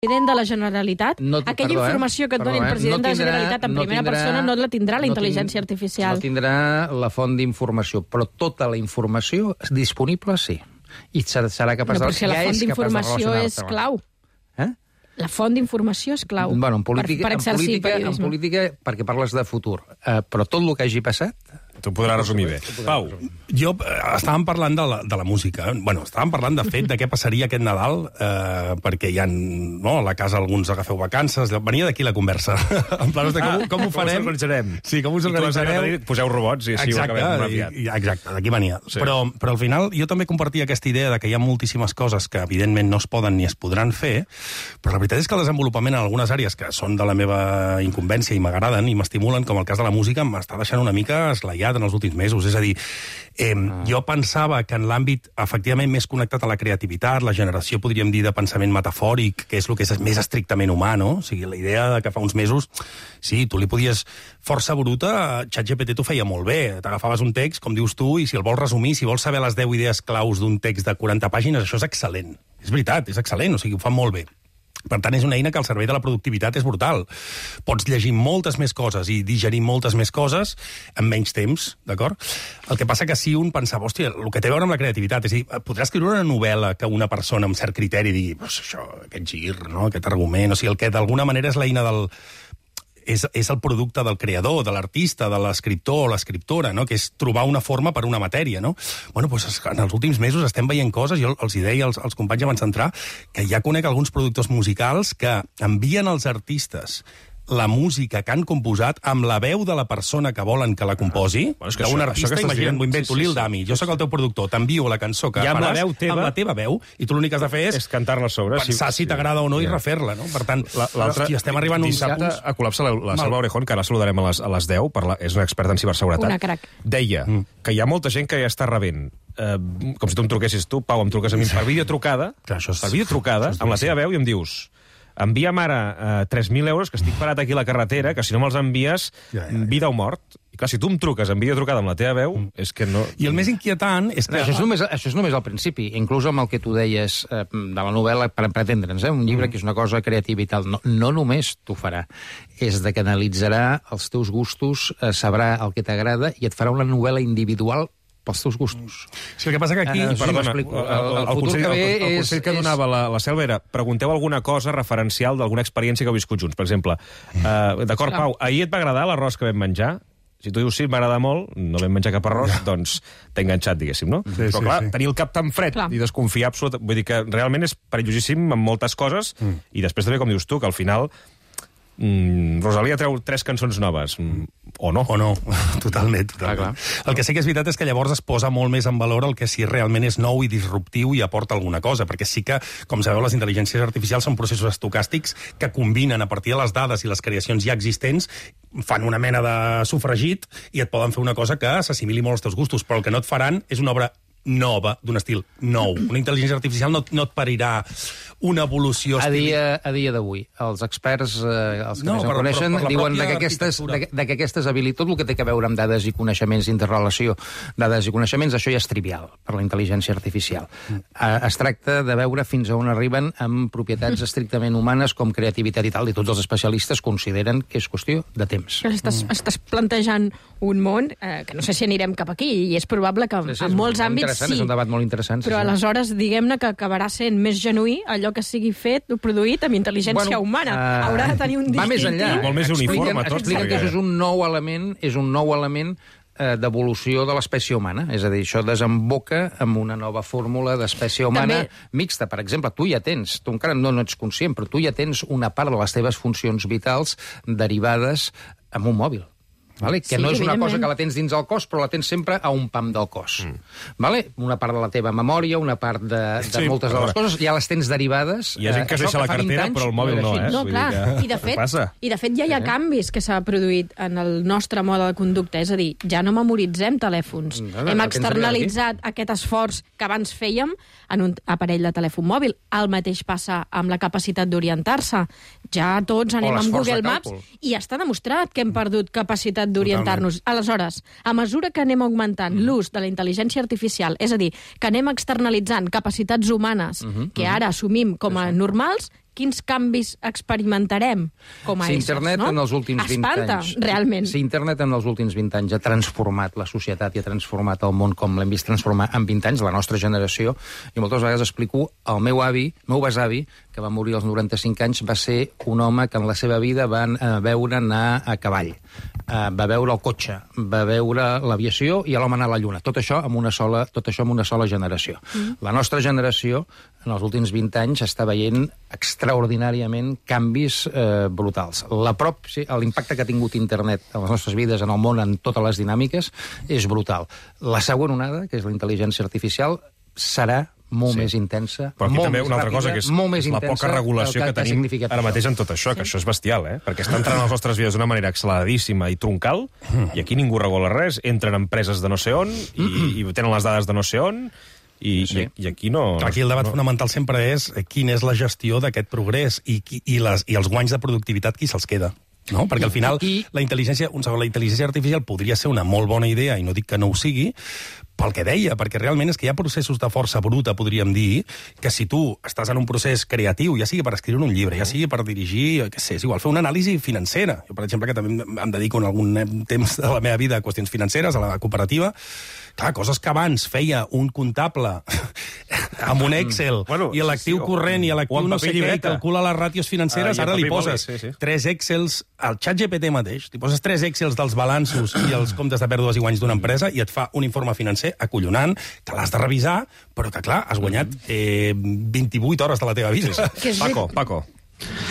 president de la Generalitat, aquella informació que et doni el president de la Generalitat en primera persona no la tindrà la intel·ligència artificial. No tindrà la font d'informació, però tota la informació disponible sí. I serà capaç de... Però si la font d'informació és clau. La font d'informació és clau per exercir periodisme. En política, perquè parles de futur, però tot el que hagi passat... T'ho podrà resumir bé. Pau. Jo, estàvem parlant de la música. Bueno, estàvem parlant, de fet, de què passaria aquest Nadal, perquè hi ha, no, a la casa alguns agafeu vacances. Venia d'aquí la conversa. En plan, com ho farem? Com us organitzarem? Sí, com us organitzarem? Poseu robots i així ho acabem molt aviat. Exacte, d'aquí venia. Sí. Però al final jo també compartia aquesta idea de que hi ha moltíssimes coses que evidentment no es poden ni es podran fer, però la veritat és que el desenvolupament en algunes àrees que són de la meva incumbència i m'agraden i m'estimulen, com el cas de la música, m'està deixant una mica esglaiat en els últims mesos. És a dir, jo pensava que en l'àmbit efectivament més connectat a la creativitat, la generació, podríem dir, de pensament metafòric, que és el que és més estrictament humà, no? O sigui, la idea de que fa uns mesos, sí, tu li podies... Força bruta, ChatGPT t'ho feia molt bé. T'agafaves un text, com dius tu, i si el vols resumir, si vols saber les 10 idees claus d'un text de 40 pàgines, això és excel·lent. És veritat, és excel·lent, o sigui, ho fan molt bé. Per tant, és una eina que al servei de la productivitat és brutal. Pots llegir moltes més coses i digerir moltes més coses en menys temps, d'acord? El que passa que si un pensava, hòstia, el que té a veure amb la creativitat, és a dir, podrà escriure una novel·la que una persona amb cert criteri digui, pues això, aquest gir, no? Aquest argument, o sigui, el que d'alguna manera és l'eina del... És el producte del creador, de l'artista, de l'escriptor o l'escriptora, no? Que és trobar una forma per una matèria, no? Bueno, doncs en els últims mesos estem veient coses, jo els hi deia als companys abans d'entrar, que ja conec alguns productors musicals que envien als artistes la música que han composat amb la veu de la persona que volen que la composi, d'un artista, imagina't, m'ho invento, Lil Dami, jo sóc el teu productor, t'envio la cançó que faràs amb la teva veu, i tu l'únic que has de fer és cantar-la a sobre, pensar si t'agrada o no i refer-la, no? Per tant, estem arribant uns dissabte a Col·lapse la Salva Orejón, que ara saludarem a les 10, és una experta en ciberseguretat. Una crac. Deia que hi ha molta gent que ja està rebent, com si tu em truquessis tu, Pau, em truques a mi per videotrucada, amb la teva veu i em dius... Envia'm ara 3.000 euros, que estic parat aquí a la carretera, que si no me'ls envies, vida o mort. I clar, si tu em truques en videotrucada amb la teva veu, és que no... I el més inquietant és que... Això és només al principi, inclús amb el que tu deies de la novel·la, per entendre'ns, un llibre que és una cosa creativa i tal, no només t'ho farà, és de que analitzarà els teus gustos, sabrà el que t'agrada i et farà una novel·la individual pels teus gustos. Sí, el que passa que aquí... Perdona, el consell que donava la Selva era pregunteu alguna cosa referencial d'alguna experiència que heu viscut junts. Per exemple, d'acord, Pau, ahir et va agradar l'arròs que vam menjar? Si tu dius sí, m'agrada molt, no vam menjar cap arròs, doncs t'he enganxat, diguéssim, no? Però clar, tenir el cap tan fred i desconfiar absolutament... Vull dir que realment és perillosíssim en moltes coses i després també, com dius tu, que al final... Rosalia treu 3 cançons noves. O no. Totalment. El que sí que és veritat és que llavors es posa molt més en valor el que sí realment és nou i disruptiu i aporta alguna cosa, perquè sí que, com sabeu, les intel·ligències artificials són processos estocàstics que combinen a partir de les dades i les creacions ja existents, fan una mena de sofregit i et poden fer una cosa que s'assimili molt als teus gustos, però el que no et faran és una obra nova, d'un estil nou. Una intel·ligència artificial no et parirà una evolució... A dia d'avui, els experts, els que més en coneixen, diuen que aquestes habilitats, tot el que té a veure amb dades i coneixements, interrelació, dades i coneixements, això ja és trivial per la intel·ligència artificial. Es tracta de veure fins a on arriben amb propietats estrictament humanes com creativitat i tal, i tots els especialistes consideren que és qüestió de temps. Estàs plantejant un món que no sé si anirem cap aquí, i és probable que en molts àmbits sí. És un debat molt interessant. Però aleshores, diguem-ne que acabarà sent més genuí allò que sigui fet o produït amb intel·ligència humana. Haurà de tenir un distintiu. Va més enllà. Molt més uniforme tot. Expliquen que això és un nou element d'evolució de l'espècie humana. És a dir, això desemboca amb una nova fórmula d'espècie humana mixta. Per exemple, tu ja tens, tu encara no ets conscient, però tu ja tens una part de les teves funcions vitals derivades amb un mòbil. Vale? Que no és una cosa que la tens dins el cos, però la tens sempre a un pam del cos. Vale? Una part de la teva memòria, una part de moltes de les coses, ja les tens derivades. Hi ha gent que es deixa la cartera, però el mòbil no, No, clar. I de fet ja hi ha canvis que s'ha produït en el nostre mode de conducta. És a dir, ja no memoritzem telèfons. Hem externalitzat aquest esforç que abans fèiem en un aparell de telèfon mòbil. El mateix passa amb la capacitat d'orientar-se. Ja tots anem amb Google Maps i està demostrat que hem perdut capacitat d'orientar-nos. Aleshores, a mesura que anem augmentant l'ús de la intel·ligència artificial, és a dir, que anem externalitzant capacitats humanes que ara assumim com a normals, quins canvis experimentarem com a éssers, Internet en els últims 20 Espanta, anys... realment. Si Internet en els últims 20 anys ha transformat la societat i ha transformat el món com l'hem vist transformar en 20 anys, la nostra generació, i moltes vegades explico, el meu besavi, que va morir als 95 anys, va ser un home que en la seva vida van veure anar a cavall, va veure el cotxe, va veure l'aviació i l'home anar a la lluna. Tot això amb una sola generació. La nostra generació, en els últims 20 anys, està veient extraordinàriament canvis brutals. L'impacte que ha tingut internet en les nostres vides, en el món, en totes les dinàmiques, és brutal. La següent onada, que és la intel·ligència artificial, serà molt més intensa, però aquí molt també més una altra ràpida, cosa, que és molt més la poca regulació que tenim ara mateix en tot això, que això és bestial, perquè està entrant a les nostres vides d'una manera acceleradíssima i troncal, i aquí ningú regula res, entren empreses de no sé on, i tenen les dades de no sé on, i aquí no... Aquí el debat fonamental sempre és quina és la gestió d'aquest progrés i els guanys de productivitat qui se'ls queda. No? Perquè al final la intel·ligència artificial podria ser una molt bona idea, i no dic que no ho sigui, pel que deia, perquè realment és que hi ha processos de força bruta, podríem dir, que si tu estàs en un procés creatiu, ja sigui per escriure un llibre, ja sigui per dirigir, què sé, és igual, fer una anàlisi financera. Jo, per exemple, que també em dedico en algun temps de la meva vida a qüestions financeres, a la cooperativa, clar, coses que abans feia un comptable amb un Excel, i l'actiu corrent i l'actiu no sé què, i calcula les ràtios financeres, ara li poses 3 Excels al ChatGPT mateix, li poses 3 Excels dels balanços i els comptes de pèrdues i guanys d'una empresa i et fa un informe financer acollonant, que l'has de revisar, però que, clar, has guanyat 28 hores de la teva vida. Paco.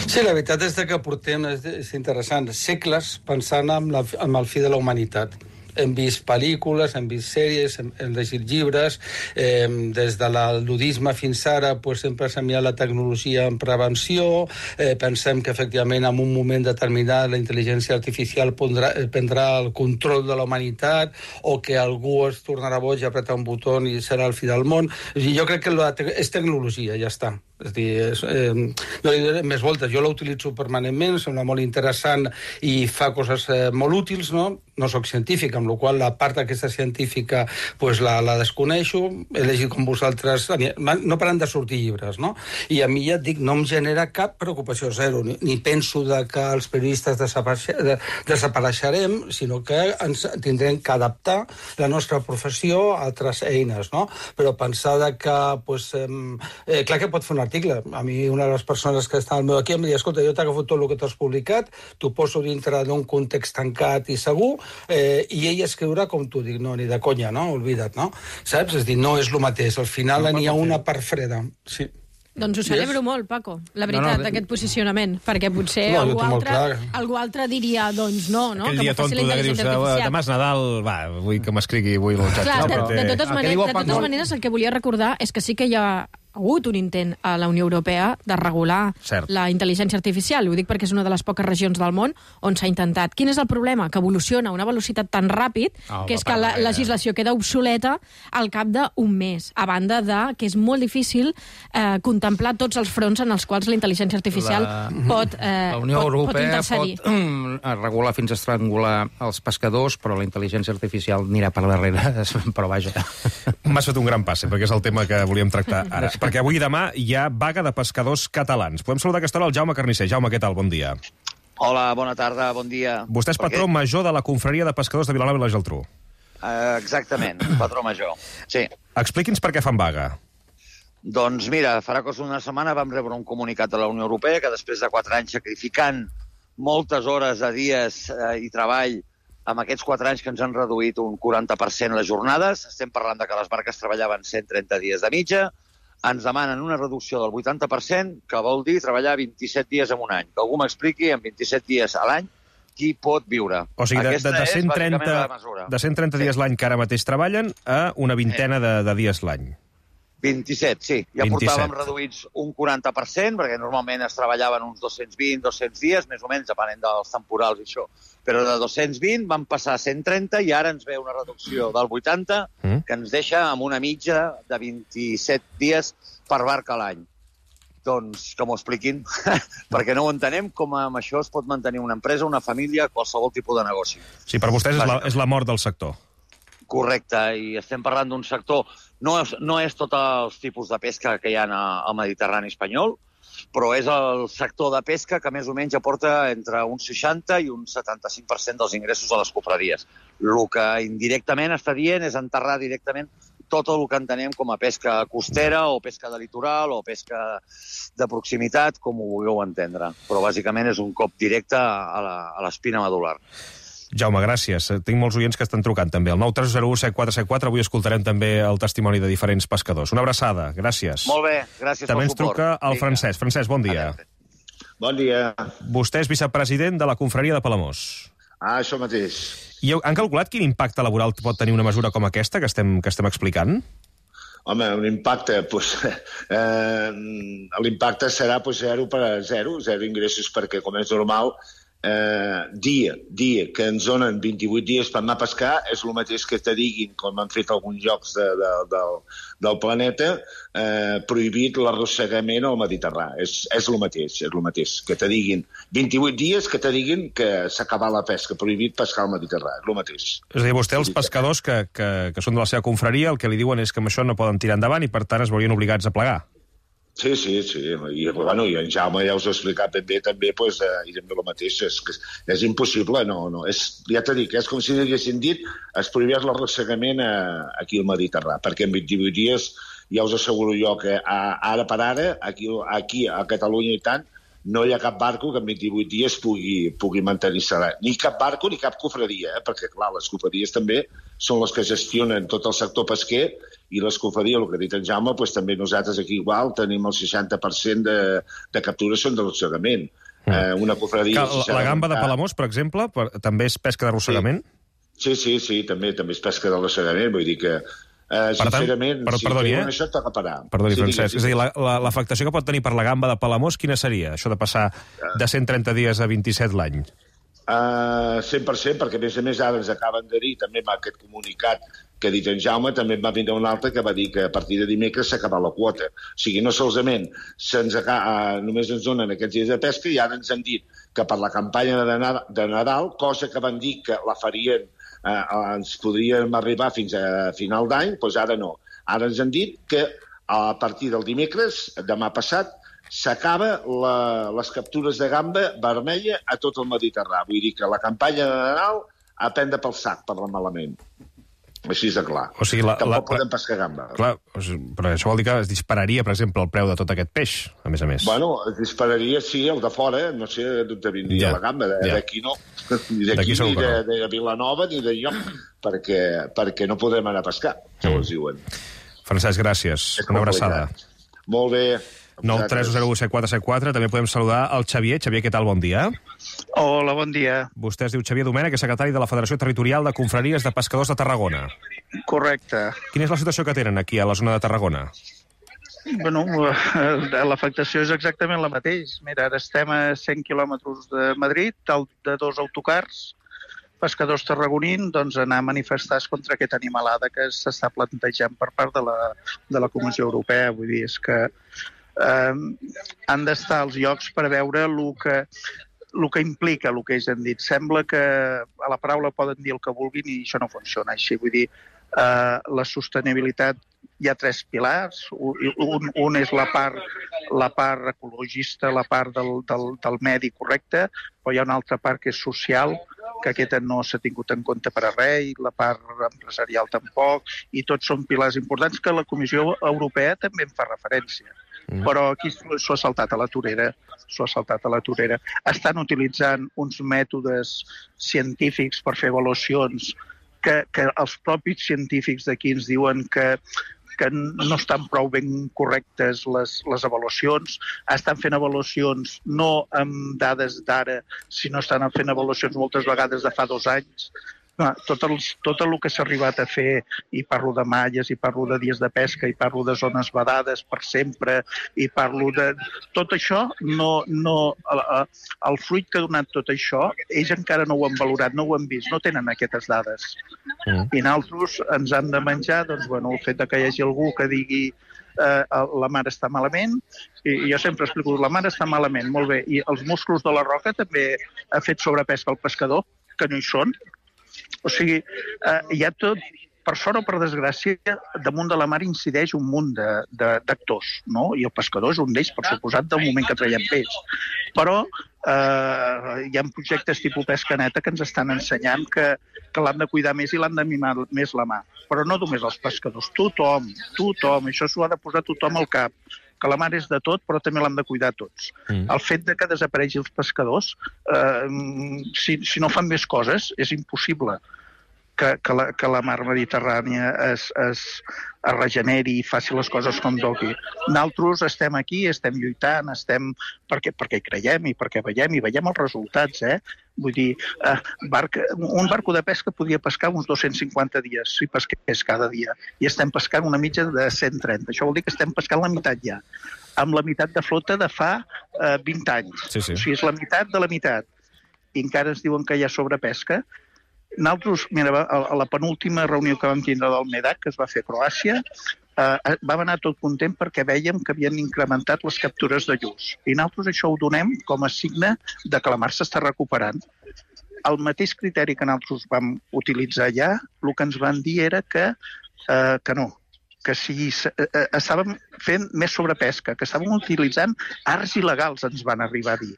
Sí, la veritat és que portem, és interessant, segles pensant en el fi de la humanitat. Hem vist pel·lícules, hem vist sèries, hem llegit llibres, des de l'aludisme fins ara sempre s'ha mirat la tecnologia en prevenció, pensem que efectivament en un moment determinat la intel·ligència artificial prendrà el control de la humanitat o que algú es tornarà boig i apretar un botó i serà el fi del món. Jo crec que és tecnologia, ja està. És a dir, no li diré més voltes, jo l'utilitzo permanentment, sembla molt interessant i fa coses molt útils, no? No soc científic, amb la qual la part aquesta científica la desconeixo, he llegit com vosaltres, no paren de sortir llibres, no? I a mi ja et dic, no em genera cap preocupació, zero, ni penso que els periodistes desapareixerem, sinó que ens tindrem que adaptar la nostra professió a altres eines, no? Però pensar que, clar que pot fer un article. A mi una de les persones que està al meu equip em diu, escolta, jo t'agafo tot el que t'has publicat, t'ho poso dintre d'un context tancat i segur, i ell escriurà com tu. Dic, no, ni de conya, no? Oblida't, no? Saps? És a dir, no és el mateix. Al final n'hi ha una part freda. Sí. Doncs ho celebro molt, Paco, la veritat, aquest posicionament, perquè potser algú altre diria, doncs no, aquell dia tonto que dius, demà és Nadal, vull que m'escrigui avui el xat. Clar, de totes maneres, el que volia recordar és que sí que hi ha hagut un intent a la Unió Europea de regular la intel·ligència artificial. Ho dic perquè és una de les poques regions del món on s'ha intentat. Quin és el problema? Que evoluciona a una velocitat tan ràpid que és que la legislació queda obsoleta al cap d'un mes, a banda de que és molt difícil contemplar tots els fronts en els quals la intel·ligència artificial pot intercedir. La Unió Europea pot regular fins a estrangular els pescadors, però la intel·ligència artificial anirà per darrere, però vaja. M'has fet un gran passe, perquè és el tema que volíem tractar ara. Perquè avui i demà hi ha vaga de pescadors catalans. Podem saludar a aquesta hora el Jaume Carnisser. Jaume, què tal? Bon dia. Hola, bona tarda, bon dia. Vostè és patró major de la Confraria de Pescadors de Vilanova i la Geltrú. Exactament, patró major, sí. Expliqui'ns per què fan vaga. Doncs mira, farà cosa una setmana vam rebre un comunicat de la Unió Europea que després de 4 anys sacrificant moltes hores de dies i treball amb aquests 4 anys que ens han reduït un 40% les jornades, estem parlant de que les barques treballaven 130 dies de mitja, ens demanen una reducció del 80%, que vol dir treballar 27 dies en un any. Que algú m'expliqui, en 27 dies a l'any, qui pot viure. O sigui, de 130 dies l'any que ara mateix treballen a una vintena de dies l'any. 27, sí. Ja portàvem reduïts un 40%, perquè normalment es treballaven uns 220, 200 dies, més o menys, depenent dels temporals i això. Però de 220 van passar a 130 i ara ens ve una reducció del 80, que ens deixa amb una mitja de 27 dies per barca a l'any. Doncs que m'ho expliquin, perquè no ho entenem com amb això es pot mantenir una empresa, una família, qualsevol tipus de negoci. Sí, per vostès és la mort del sector. Correcte, i estem parlant d'un sector... No és tots els tipus de pesca que hi ha al Mediterrani espanyol, però és el sector de pesca que més o menys aporta entre un 60 i un 75% dels ingressos a les confraries. El que indirectament està dient és enterrar directament tot el que entenem com a pesca costera o pesca de litoral o pesca de proximitat, com ho vulgueu entendre. Però bàsicament és un cop directe a l'espina medular. Jaume, gràcies. Tinc molts oients que estan trucant també. El 930174474, avui escoltarem també el testimoni de diferents pescadors. Una abraçada, gràcies. Molt bé, gràcies també pel suport. També ens truca el Francesc. Francesc, bon dia. Bon dia. Vostè és vicepresident de la confraria de Palamós. Això mateix. I han calculat quin impacte laboral pot tenir una mesura com aquesta que estem explicant? Home, un impacte, l'impacte serà zero ingressos, perquè, com és normal, dia que ens donen 28 dies per anar a pescar és el mateix que te diguin, com han fet alguns llocs del planeta, prohibit l'arrossegament al Mediterrani. És el mateix, que te diguin 28 dies, que te diguin que s'ha acabat la pesca, prohibit pescar al Mediterrani, és el mateix. És a dir, vostè, els pescadors que són de la seva confraria, el que li diuen és que amb això no poden tirar endavant i per tant es veurien obligats a plegar. Sí. I en Jaume ja us ho ha explicat ben bé, també, i també el mateix, és impossible, ja t'he dit, és com si haguessin dit es prohibeix l'arrossegament aquí al Mediterrani, perquè en 28 dies ja us asseguro jo que ara per ara, aquí a Catalunya i tant, no hi ha cap barco que en 28 dies pugui mantenir-se. Ni cap barco ni cap confraria, perquè, clar, les confraries també són les que gestionen tot el sector pesquer i les confraries, el que ha dit en Jaume, també nosaltres aquí igual tenim el 60% de captures són d'arrossegament. Una confraria... La gamba de Palamós, per exemple, també és pesca d'arrossegament? Sí, també és pesca d'arrossegament, vull dir que sincerament, si treuen això toca parar. Perdoni, Francesc, és a dir, l'afectació que pot tenir per la gamba de Palamós, quina seria, això de passar de 130 dies a 27 l'any? 100%, perquè a més ara ens acaben de dir, també amb aquest comunicat que ha dit en Jaume, també va vindre un altre que va dir que a partir de dimecres s'ha acabat la quota. O sigui, no solament només ens donen aquests dies de pesca i ara ens han dit que per la campanya de Nadal, cosa que van dir que la farien ens podríem arribar fins a final d'any, doncs ara no. Ara ens han dit que a partir del dimecres, demà passat, s'acaba les captures de gamba vermella a tot el Mediterrani. Vull dir que la campanya de Nadal a prendre pel sac, per malament. Així de clar. O sigui, tampoc podem pescar gamba. Clar, però això vol dir que es dispararia, per exemple, el preu de tot aquest peix, a més a més. Bueno, es dispararia, sí, el de fora, no sé d'on vindria la gamba, d'aquí no. Ni d'aquí, ni de Vilanova, ni de lloc, perquè no podrem anar a pescar, segons diuen. Francesc, gràcies. Una abraçada. Molt bé. 930174474. També podem saludar el Xavier. Xavier, què tal? Bon dia. Hola, bon dia. Vostè es diu Xavier Domènech, és secretari de la Federació Territorial de Confraries de Pescadors de Tarragona. Correcte. Quina és la situació que tenen aquí a la zona de Tarragona? Bueno, l'afectació és exactament la mateixa. Mira, ara estem a 100 quilòmetres de Madrid, de 2 autocars, pescadors tarragonins, doncs anar a manifestar-se contra aquesta animalada que s'està plantejant per part de la Comissió Europea. Vull dir, és que han d'estar als llocs per veure el que implica el que ells han dit. Sembla que a la paraula poden dir el que vulguin i això no funciona així. Vull dir, la sostenibilitat, hi ha 3 pilars. Un és la part ecologista, la part del medi correcte, però hi ha una altra part que és social, que aquesta no s'ha tingut en compte per a res, i la part empresarial tampoc, i tots són pilars importants que la Comissió Europea també en fa referència. Però aquí s'ho ha saltat a la torera. Estan utilitzant uns mètodes científics per fer avaluacions que els propis científics d'aquí ens diuen que no estan prou ben correctes les avaluacions. Estan fent avaluacions no amb dades d'ara, sinó estan fent avaluacions moltes vegades de fa 2 anys. Tot el que s'ha arribat a fer, i parlo de malles, i parlo de dies de pesca, i parlo de zones vedades per sempre, i parlo de... Tot això, el fruit que ha donat tot això, ells encara no ho han valorat, no ho han vist, no tenen aquestes dades. I nosaltres ens han de menjar, doncs, bueno, el fet que hi hagi algú que digui la mar està malament, i jo sempre explico, la mar està malament, molt bé, i els musclos de la roca també ha fet sobrepesca al pescador, que no hi són. O sigui, hi ha per sort o per desgràcia, damunt de la mar incideix un munt d'actors, no? I el pescador és un d'ells, per suposat, del moment que traiem peix. Però hi ha projectes tipus pesca neta que ens estan ensenyant que l'han de cuidar més i l'han de mimar més la mà. Però no només els pescadors, tothom, això s'ho ha de posar tothom al cap, que la mar és de tot, però també l'han de cuidar tots. El fet de que desaparegui els pescadors, si no fan més coses, és impossible que la mar Mediterrània es regeneri i faci les coses com toqui. Nosaltres estem aquí, estem lluitant, perquè hi creiem i perquè veiem els resultats, Vull dir, un barco de pesca podria pescar uns 250 dies, si pesqués cada dia, i estem pescant una mitja de 130. Això vol dir que estem pescant la meitat ja, amb la meitat de flota de fa 20 anys. Sí. O sigui, és la meitat de la meitat. I encara ens diuen que hi ha sobrepesca. Nosaltres, mira, a la penúltima reunió que vam tindre del MEDAC, que es va fer a Croàcia, vam anar tot content perquè vèiem que havien incrementat les captures de lluç. I nosaltres això ho donem com a signe de que la mar s'està recuperant. El mateix criteri que nosaltres vam utilitzar ja, el que ens van dir era que no, que si estàvem fent més sobrepesca, que estàvem utilitzant arts il·legals, ens van arribar a dir.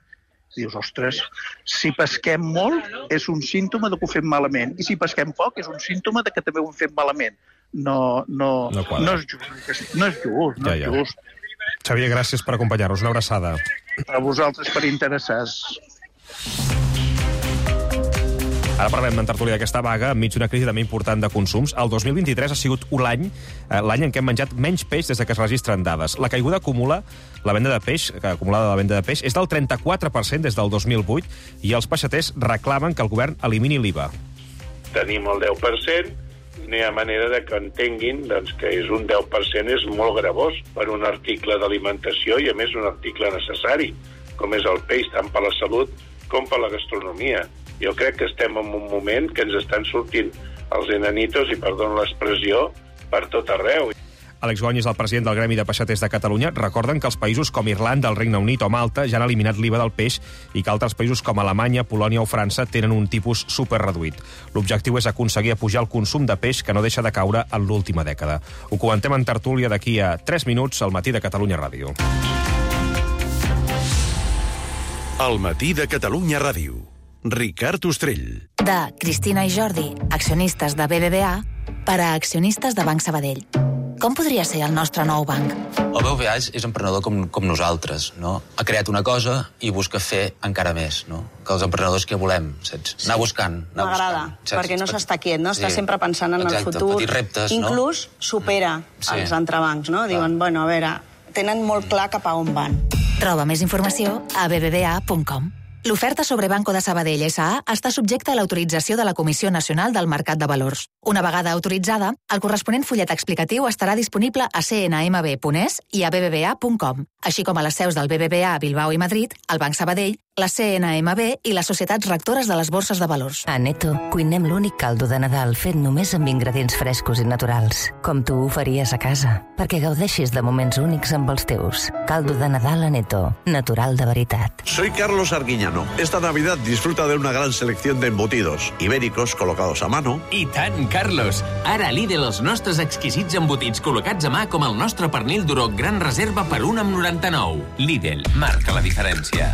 Dius, ostres, si pesquem molt és un símptoma de que ho fem malament, i si pesquem poc és un símptoma de que també ho fem malament. No és just. No és just. Xavier, gràcies per acompanyar-nos. Una abraçada. A vosaltres per interessar-vos. Ara parlem en tertúlia d'aquesta vaga enmig d'una crisi també important de consums. El 2023 ha sigut l'any en què hem menjat menys peix des que es registren dades. La caiguda acumulada de la venda de peix és del 34% des del 2008 i els peixaters reclamen que el govern elimini l'IVA. Tenim el 10%, no hi ha manera de que entenguin que és un 10% és molt gravós per un article d'alimentació i, a més, un article necessari, com és el peix, tant per la salut com per la gastronomia. Jo crec que estem en un moment que ens estan sortint els enanitos, i perdó l'expressió, per tot arreu. Àlex Gonyes, el president del Gremi de Peixaters de Catalunya, recorden que els països com Irlanda, el Regne Unit o Malta ja han eliminat l'IVA del peix i que altres països com Alemanya, Polònia o França tenen un tipus superreduït. L'objectiu és aconseguir apujar el consum de peix que no deixa de caure en l'última dècada. Ho comentem en tertúlia d'aquí a 3 minuts al Matí de Catalunya Ràdio. El Matí de Catalunya Ràdio. Ricard Ostrell. De Cristina i Jordi, accionistes de BBVA, per a accionistes de Banc Sabadell. Com podria ser el nostre nou banc? El BBVA és emprenedor com nosaltres, no? Ha creat una cosa i busca fer encara més, no? Que els emprenedors que volem, saps? Anar buscant. M'agrada, perquè no s'està quiet, no? Està sempre pensant en el futur. Petits reptes, no? Inclús supera els entrebancs, no? Diuen, bueno, a veure, tenen molt clar cap a on van. Troba més informació a bbva.com. L'oferta sobre Banco de Sabadell S.A. està subjecta a l'autorització de la Comissió Nacional del Mercat de Valors. Una vegada autoritzada, el corresponent fullet explicatiu estarà disponible a cnmb.es i a bbva.com, així com a les seus del BBVA a Bilbao i Madrid, el Banc Sabadell, la CNMB i les societats rectores de les borses de valors. A Neto cuinem l'únic caldo de Nadal fet només amb ingredients frescos i naturals, com tu ho faries a casa, perquè gaudeixis de moments únics amb els teus. Caldo de Nadal a Neto, natural de veritat. Soy Carlos Arguiñano. Esta Navidad disfruta de una gran selección de embutidos ibéricos colocados a mano. I tant, Carlos! Ara a Lidl els nostres exquisits embotits col·locats a mà com el nostre pernil d'Uro Gran Reserva per 1,99. Lidl, marca la diferència.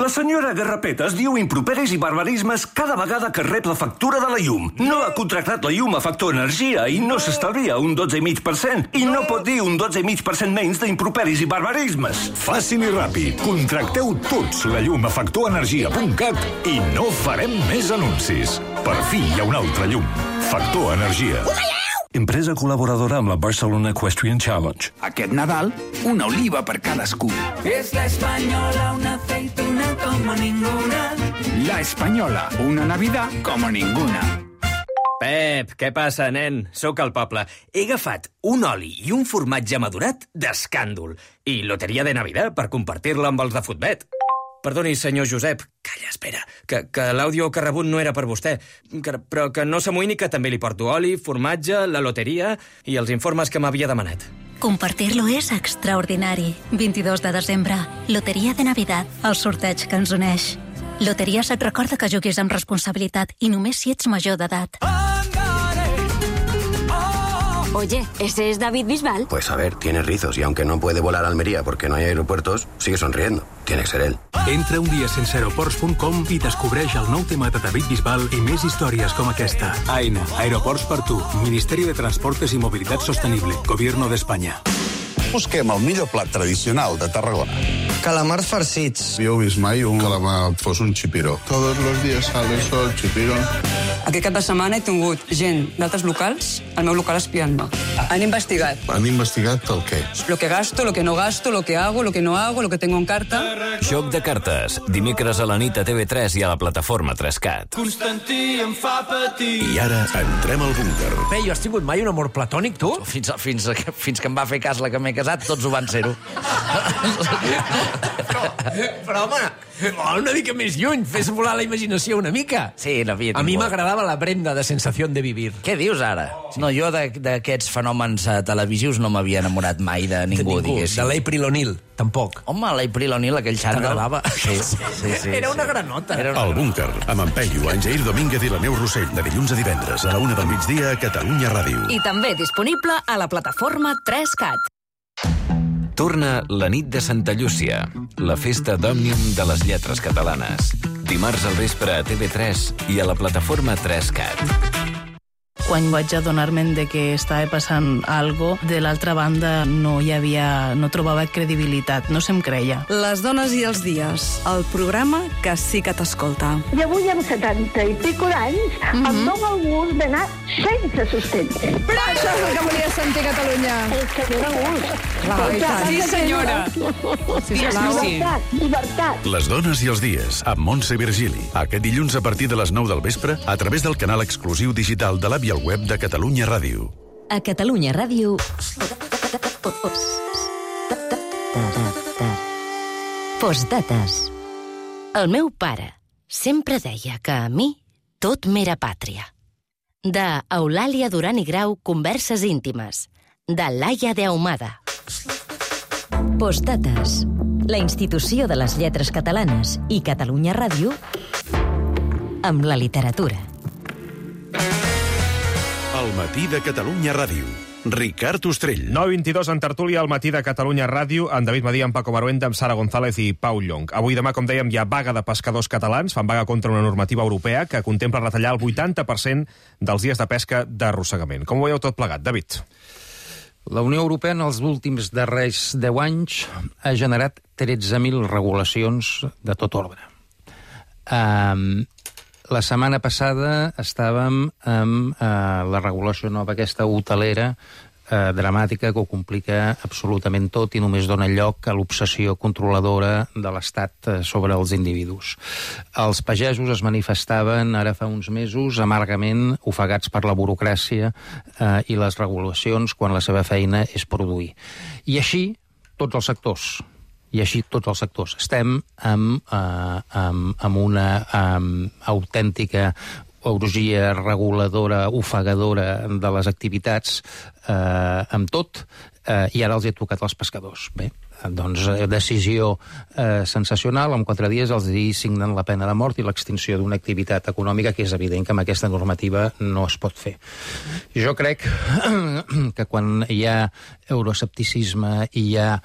La senyora Garrapetes diu improperis i barbarismes cada vegada que rep la factura de la llum. No ha contractat la llum a Factor Energia i no s'estalvia un 12,5%. I no pot dir un 12,5% menys d'improperis i barbarismes. Fàcil i ràpid. Contracteu tots la llum a factorenergia.cat i no farem més anuncis. Per fi hi ha una altra llum. Factor Energia. Empresa col·laboradora amb la Barcelona Equestrian Challenge. Aquest Nadal, una oliva per cadascú. Es la Española, una aceituna como ninguna. La Española, una Navidad como ninguna. Pep, què passa, nen? Sóc al poble. He agafat un oli i un formatge madurat d'escàndol. I loteria de Navidad per compartir-la amb els de Futbet. Perdoni, senyor Josep. Calla, espera, que l'àudio que ha rebut no era per vostè. Però que no s'amoïni que també li porto oli, formatge, la loteria i els informes que m'havia demanat. Compartir-lo és extraordinari. 22 de desembre, Loteria de Navidad, el sorteig que ens uneix. Loteries et recorda que juguis amb responsabilitat i només si ets major d'edat. Oye, ¿ese es David Bisbal? Pues a ver, tiene rizos y aunque no puede volar a Almería porque no hay aeropuertos, sigue sonriendo. Tiene que ser él. Entra un dia sense aeroports.com i descobreix el nou tema de David Bisbal i més històries com aquesta. AENA, Aeroports per tu, Ministeri de Transportes i Mobilitat Sostenible, Gobierno d'Espanya. Busquem el millor plat tradicional de Tarragona. Calamars farcits. Jo he vist mai un calamar fos un chipiro. Todos los días sale el sol, chipiro. Aquest cap de setmana he tingut gent d'altres locals al meu local espiant-me. Han investigat. Han investigat el què? Lo que gasto, lo que no gasto, lo que hago, lo que no hago, lo que tengo en carta. Joc de cartes. Dimecres a la nit a TV3 i a la plataforma 3CAT. Constantí em fa patir. I ara entrem al búnquer. Bé, jo has tingut mai un amor platònic, tu? Fins que em va fer cas la que m'he casat, tots ho van ser-ho. Però, home, una mica més lluny, fes volar la imaginació una mica. Sí, n'havia tingut. A mi m'agradava la Brenda de Sensación de Vivir. Què dius ara? No, jo d'aquests fenòmens televisius no m'havia enamorat mai de ningú, diguéssim. De l'April O'Neil, tampoc. Home, l'April O'Neil, aquell xandall. T'agradava? Sí. Era una granota. El búnquer, amb en Peyu, en Jair Domínguez i la Neu Rossell, de dilluns a divendres a la 1 del migdia a Catalunya Ràdio. I també disponible a la plataforma 3CAT. Torna la nit de Santa Llúcia, la festa d'Òmnium de les lletres catalanes. Dimarts al vespre a TV3 i a la plataforma 3CAT. Quan vaig adonar-me de que estava passant algo, de l'altra banda no trobava credibilitat, no se'm creia. Les dones i els dies, el programa que sí que t'escolta. I avui amb 70 i pico d'anys em dóna el gust d'anar sense sostén. Però això és el que volia sentir Catalunya. És que dóna gust. Sí, senyora. Llibertat. Les dones i els dies, amb Montse Virgili. Aquest dilluns a partir de les 9 del vespre, a través del canal exclusiu digital de l'app i el web de Catalunya Ràdio. A Catalunya Ràdio... Postdates. El meu pare sempre deia que a mi tot m'era pàtria. De Eulàlia Duran i Grau, Converses íntimes. De Laia de Ahumada. Postdates. La institució de les lletres catalanes i Catalunya Ràdio amb la literatura. El matí de Catalunya Ràdio. Ricard Ostrell. 9:22 en tertúlia al matí de Catalunya Ràdio, amb David Madí, amb Paco Baruenda, amb Sara González i Pau Llong. Avui demà, com dèiem, hi ha vaga de pescadors catalans, fan vaga contra una normativa europea que contempla retallar el 80% dels dies de pesca d'arrossegament. Com ho veieu tot plegat, David? La Unió Europea en els últims darrers 10 anys ha generat 13.000 regulacions de tot ordre. La setmana passada estàvem amb la regulació nova, aquesta hotelera dramàtica que ho complica absolutament tot i només dona lloc a l'obsessió controladora de l'Estat sobre els individus. Els pagesos es manifestaven ara fa uns mesos amargament ofegats per la burocràcia i les regulacions quan la seva feina és produir. I així tots els sectors. Estem amb una autèntica orgia reguladora, ofegadora de les activitats amb tot, i ara els he tocat als pescadors. Bé, doncs decisió sensacional, en 4 dies els signen la pena de mort i l'extinció d'una activitat econòmica que és evident que amb aquesta normativa no es pot fer. Jo crec que quan hi ha euroescepticisme i hi ha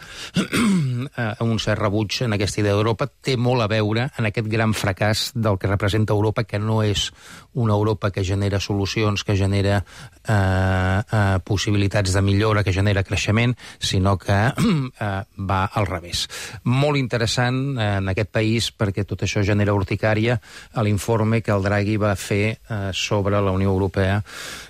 un cert rebuig en aquesta idea d'Europa, té molt a veure en aquest gran fracàs del que representa Europa, que no és una Europa que genera solucions, que genera possibilitats de millora, que genera creixement, sinó que va al revés. Molt interessant en aquest país, perquè tot això genera urticària, l'informe que el Draghi va fer sobre la Unió Europea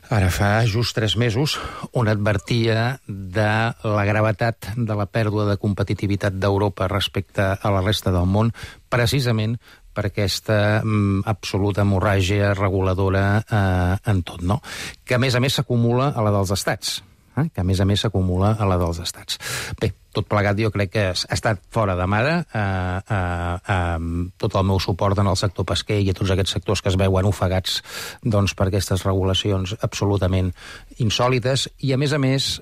ara fa just 3 mesos, on advertia de la gravetat de la pèrdua de competitivitat d'Europa respecte a la resta del món, precisament per aquesta absoluta hemorràgia reguladora en tot, no? Que a més s'acumula a la dels estats. Bé, tot plegat jo crec que ha estat fora de mare, tot el meu suport en el sector pesquer i a tots aquests sectors que es veuen ofegats per aquestes regulacions absolutament insòlites, i a més,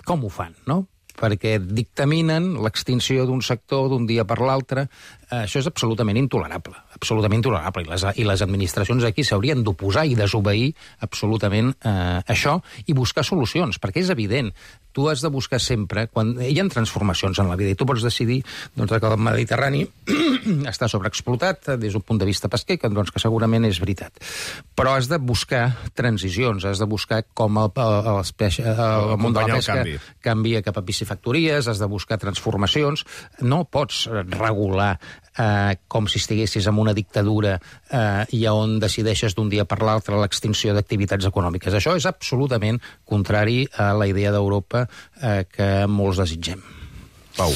com ho fan, no? perquè dictaminen l'extinció d'un sector d'un dia per l'altre. Això és absolutament intolerable, i les administracions aquí s'haurien d'oposar i desobeir absolutament això i buscar solucions, perquè és evident, tu has de buscar sempre, quan hi ha transformacions en la vida i tu pots decidir doncs, que el Mediterrani està sobreexplotat des d'un punt de vista pesquer, doncs, que segurament és veritat. Però has de buscar transicions, has de buscar com el món de la pesca canvia cap a piscifactories, has de buscar transformacions, no pots regular com si estiguessis en una dictadura i on decideixes d'un dia per l'altre l'extinció d'activitats econòmiques. Això és absolutament contrari a la idea d'Europa que molts desitgem. Pau.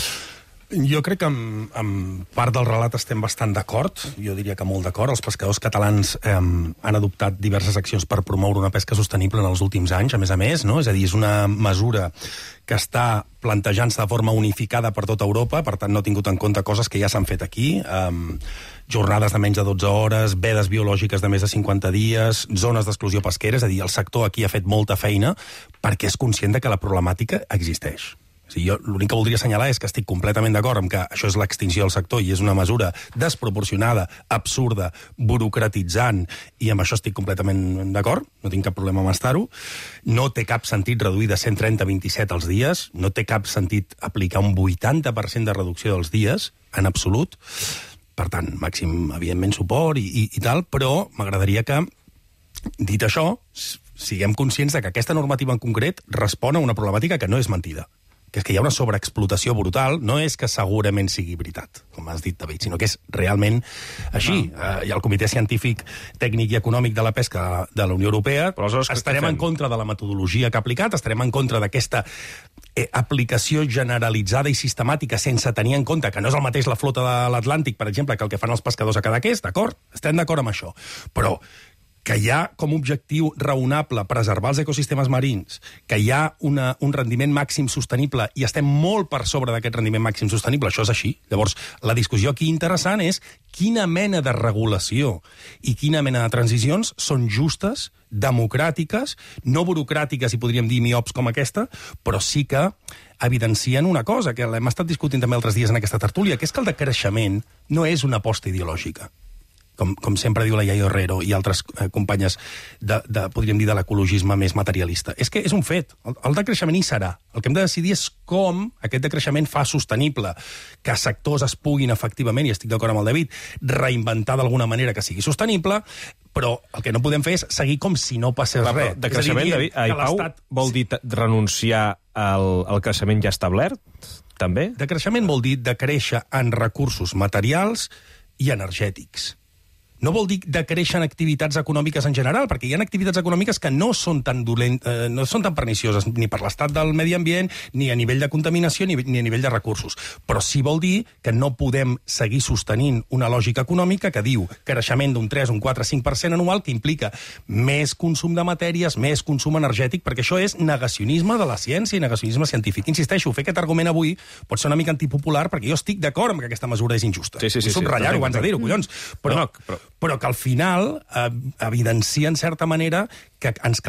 Jo crec que amb part del relat estem bastant d'acord, jo diria que molt d'acord. Els pescadors catalans han adoptat diverses accions per promoure una pesca sostenible en els últims anys, a més, no? És a dir, és una mesura que està plantejant-se de forma unificada per tota Europa, per tant no ha tingut en compte coses que ja s'han fet aquí, jornades de menys de 12 hores, vedes biològiques de més de 50 dies, zones d'exclusió pesquera, és a dir, el sector aquí ha fet molta feina perquè és conscient de que la problemàtica existeix. Jo l'únic que voldria assenyalar és que estic completament d'acord amb que això és l'extinció del sector i és una mesura desproporcionada, absurda, burocratitzant, i amb això estic completament d'acord, no tinc cap problema amb estar-ho. No té cap sentit reduir de 130 a 27 els dies, no té cap sentit aplicar un 80% de reducció dels dies, en absolut. Per tant, màxim, evidentment, suport i tal, però m'agradaria que, dit això, siguem conscients de que aquesta normativa en concret respon a una problemàtica que no és mentida, que és que hi ha una sobreexplotació brutal, no és que segurament sigui veritat, com has dit, David, sinó que és realment així. Hi ha el Comitè Científic, Tècnic i Econòmic de la Pesca de la Unió Europea, estarem en contra de la metodologia que ha aplicat, estarem en contra d'aquesta aplicació generalitzada i sistemàtica sense tenir en compte que no és el mateix la flota de l'Atlàntic, per exemple, que el que fan els pescadors a Cadaqués, d'acord? Estem d'acord amb això. Però que hi ha com a objectiu raonable preservar els ecosistemes marins, que hi ha un rendiment màxim sostenible i estem molt per sobre d'aquest rendiment màxim sostenible, això és així. Llavors, la discussió aquí interessant és quina mena de regulació i quina mena de transicions són justes, democràtiques, no burocràtiques, i podríem dir miops com aquesta, però sí que evidencien una cosa, que l'hem estat discutint també altres dies en aquesta tertúlia, que és que el decreixement no és una aposta ideològica. Com sempre diu la Yayo Herrero i altres companyes podríem dir, de l'ecologisme més materialista. És que és un fet. El decreixement hi serà. El que hem de decidir és com aquest decreixement fa sostenible que sectors es puguin efectivament, i estic d'acord amb el David, reinventar d'alguna manera que sigui sostenible, però el que no podem fer és seguir com si no passés res. Decreixement, David, Pau, vol dir renunciar al creixement ja establert, també? Decreixement vol dir decréixer en recursos materials i energètics. No vol dir decréixer en activitats econòmiques en general, perquè hi ha activitats econòmiques que no són tan pernicioses ni per l'estat del medi ambient, ni a nivell de contaminació, ni a nivell de recursos. Però sí vol dir que no podem seguir sostenint una lògica econòmica que diu creixement d'un 3, un 4, 5% anual, que implica més consum de matèries, més consum energètic, perquè això és negacionisme de la ciència i negacionisme científic. Insisteixo, fer aquest argument avui pot ser una mica antipopular, perquè jo estic d'acord amb que aquesta mesura és injusta. Sí. Subratllar-ho abans de dir-ho, collons. Però que al final evidencia, en certa manera, que ens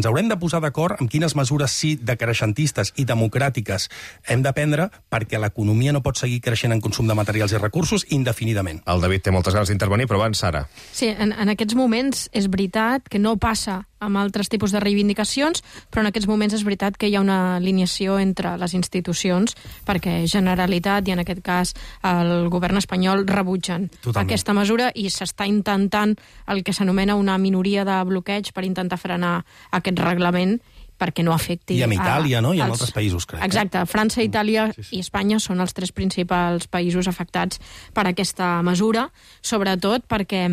haurem de posar d'acord amb quines mesures sí decreixentistes i democràtiques hem de prendre perquè l'economia no pot seguir creixent en consum de materials i recursos indefinidament. El David té moltes ganes d'intervenir, però abans, Sara. Sí, en aquests moments és veritat que no passa amb altres tipus de reivindicacions, però en aquests moments és veritat que hi ha una alineació entre les institucions perquè Generalitat i, en aquest cas, el govern espanyol rebutgen aquesta mesura i s'està intentant el que s'anomena una minoria de bloqueig per intentar frenar aquest reglament perquè no afecti... I amb Itàlia, no? I amb altres països, crec. Exacte. França, Itàlia i Espanya són els 3 principals països afectats per aquesta mesura, sobretot perquè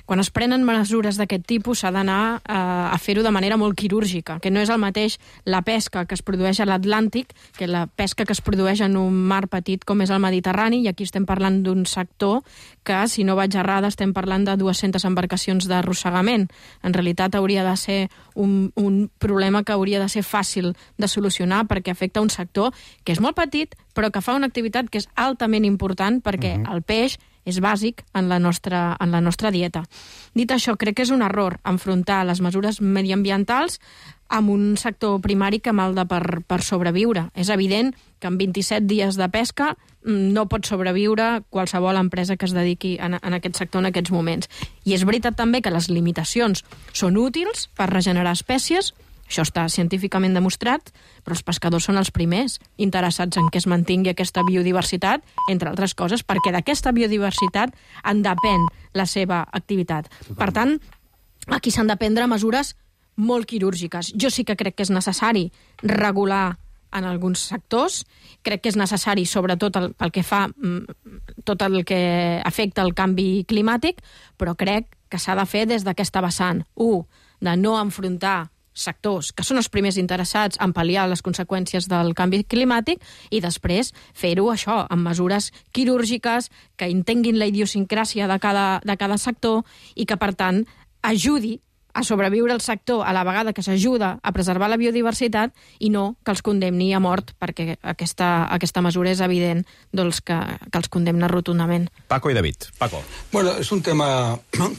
quan es prenen mesures d'aquest tipus s'ha d'anar a fer-ho de manera molt quirúrgica, que no és el mateix la pesca que es produeix a l'Atlàntic que la pesca que es produeix en un mar petit com és el Mediterrani, i aquí estem parlant d'un sector que, si no vaig errada, estem parlant de 200 embarcacions d'arrossegament. En realitat hauria de ser un problema que hauria de ser fàcil de solucionar perquè afecta un sector que és molt petit però que fa una activitat que és altament important perquè el peix és bàsic en la nostra dieta. Dit això, crec que és un error enfrontar les mesures mediambientals amb un sector primari que malda per sobreviure. És evident que en 27 dies de pesca no pot sobreviure qualsevol empresa que es dediqui en aquest sector en aquests moments. I és veritat també que les limitacions són útils per regenerar espècies, això està científicament demostrat, però els pescadors són els primers interessats en que es mantingui aquesta biodiversitat, entre altres coses, perquè d'aquesta biodiversitat en depèn la seva activitat. Per tant, aquí s'han de prendre mesures molt quirúrgiques. Jo sí que crec que és necessari regular en alguns sectors, crec que és necessari, sobretot pel que fa tot el que afecta el canvi climàtic, però crec que s'ha de fer des d'aquesta vessant. De no enfrontar sectors que són els primers interessats en pal·liar les conseqüències del canvi climàtic i després fer-ho això, amb mesures quirúrgiques que entenguin la idiosincràsia de cada sector i que, per tant, ajudi a sobreviure el sector a la vegada que s'ajuda a preservar la biodiversitat i no que els condemni a mort, perquè aquesta mesura és evident que els condemna rotundament. Paco i David. Paco. Bueno, és un tema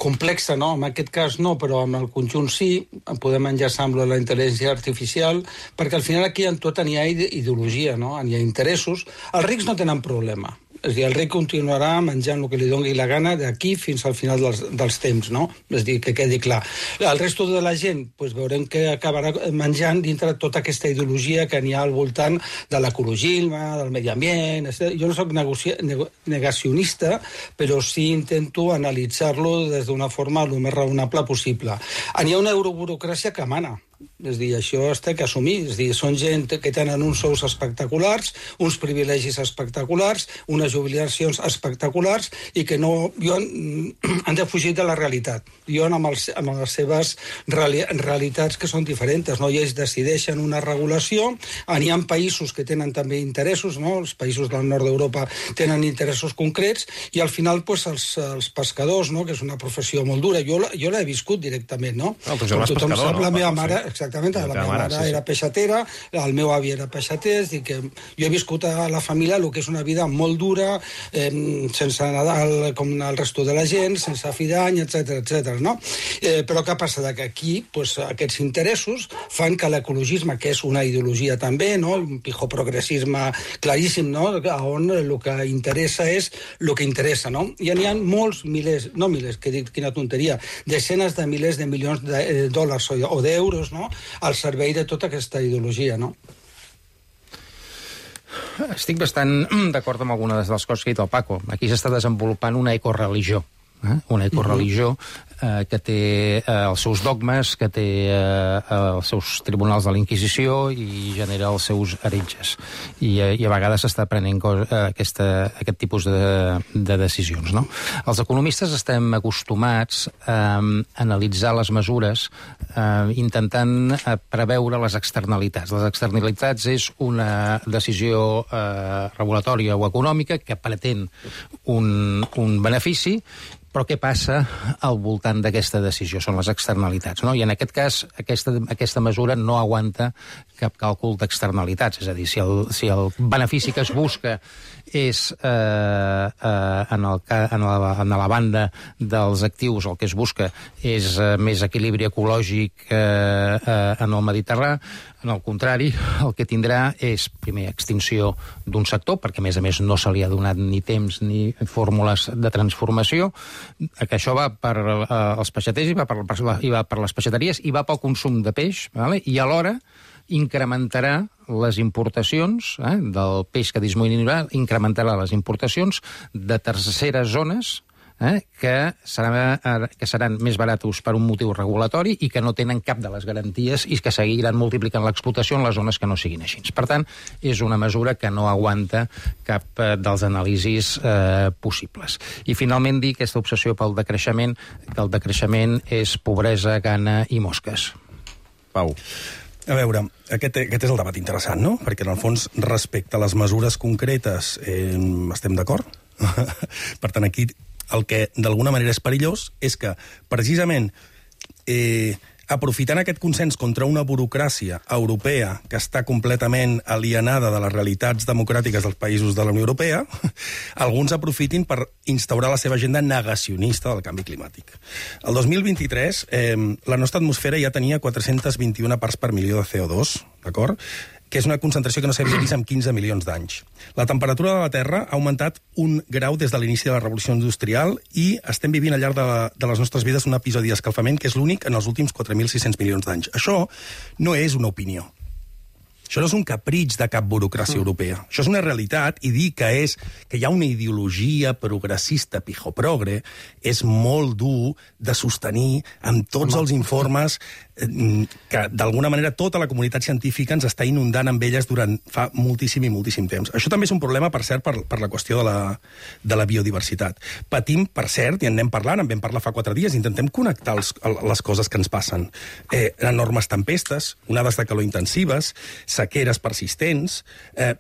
complex, no? En aquest cas no, però en el conjunt sí. Podem enllaçar amb la intel·ligència artificial, perquè al final aquí en tot n'hi ha ideologia, no? N'hi ha interessos. Els rics no tenen problema. És a dir, el rei continuarà menjant el que li doni la gana d'aquí fins al final dels temps, no? És a dir, que quedi clar. El resto de la gent, doncs veurem que acabarà menjant dintre tota aquesta ideologia que n'hi ha al voltant de l'ecologisme, del medi ambient, etc. Jo no soc negacionista, però sí intento analitzar-lo des d'una forma el més raonable possible. N'hi ha una euroburocràcia que mana. És a dir, això es té que assumir. És a dir, són gent que tenen uns sous espectaculars, uns privilegis espectaculars, unes jubilacions espectaculars i que han de fugir de la realitat. Viuen amb les seves realitats que són diferents. No? I ells decideixen una regulació. N'hi ha països que tenen també interessos, no? Els països del nord d'Europa tenen interessos concrets i al final els pescadors, no? Que és una professió molt dura. Jo l'he viscut directament, no? Com tothom sap, la meva mare... Exactament, la meva mare era peixatera, el meu avi era peixater, és que jo he viscut a la família el que és una vida molt dura, sense Nadal com el resto de la gent, sense fi d'any, etc. No? Però què passa? Que aquí aquests interessos fan que l'ecologisme, que és una ideologia també, no? Un pijoprogressisme claríssim, no? On el que interessa és el que interessa, no? I n'hi ha molts milers, no milers, que dic quina tonteria, desenes de milers de milions de dòlars o d'euros, no? Al servei de tota aquesta ideologia, no? Estic bastant d'acord amb algunes de les coses que ha dit el Paco. Aquí s'està desenvolupant una ecoreligió. Una ecoreligió que té els seus dogmes, que té els seus tribunals de la Inquisició i genera els seus heretges. I a vegades s'està prenent aquest tipus de decisions. No? Els economistes estem acostumats a analitzar les mesures intentant preveure les externalitats. Les externalitats és una decisió regulatòria o econòmica que pretén un benefici, però què passa al voltant d'aquesta decisió? Són les externalitats, no? I en aquest cas, aquesta mesura no aguanta cap càlcul d'externalitats. És a dir, si el benefici que es busca és en la banda dels actius, el que es busca és més equilibri ecològic en el Mediterrani. En el contrari, el que tindrà és, primer, extinció d'un sector, perquè, a més, no se li ha donat ni temps ni fórmules de transformació, que això va per als peixaters i va per les peixateries i va pel consum de peix, i alhora incrementarà les importacions del peix que disminuirà, incrementarà les importacions de terceres zones que seran més baratos per un motiu regulatori i que no tenen cap de les garanties i que seguiran multiplicant l'explotació en les zones que no siguin així. Per tant, és una mesura que no aguanta cap dels anàlisis possibles. I finalment dir aquesta obsessió pel decreixement, que el decreixement és pobresa, gana i mosques. Pau. A veure, aquest és el debat interessant, no? Perquè, en el fons, respecte a les mesures concretes, estem d'acord? Per tant, aquí el que d'alguna manera és perillós és que, precisament, aprofitant aquest consens contra una burocràcia europea que està completament alienada de les realitats democràtiques dels països de la Unió Europea, alguns aprofitin per instaurar la seva agenda negacionista del canvi climàtic. El 2023, la nostra atmosfera ja tenia 421 parts per milió de CO2, d'acord? Que és una concentració que no s'havia vist en 15 milions d'anys. La temperatura de la Terra ha augmentat 1 grau des de l'inici de la revolució industrial i estem vivint al llarg de les nostres vides un episodi d'escalfament que és l'únic en els últims 4.600 milions d'anys. Això no és una opinió. Això no és un capritx de cap burocràcia europea. Això és una realitat, i dir que hi ha una ideologia progressista pijoprogre és molt dur de sostenir amb tots els informes que, d'alguna manera, tota la comunitat científica ens està inundant amb elles durant fa moltíssim i moltíssim temps. Això també és un problema, per cert, per la qüestió de la biodiversitat. Patim, per cert, i en anem parlant, en vam parlar fa 4 dies, intentem connectar les coses que ens passen. Enormes tempestes, onades de calor intensives, sequeres persistents,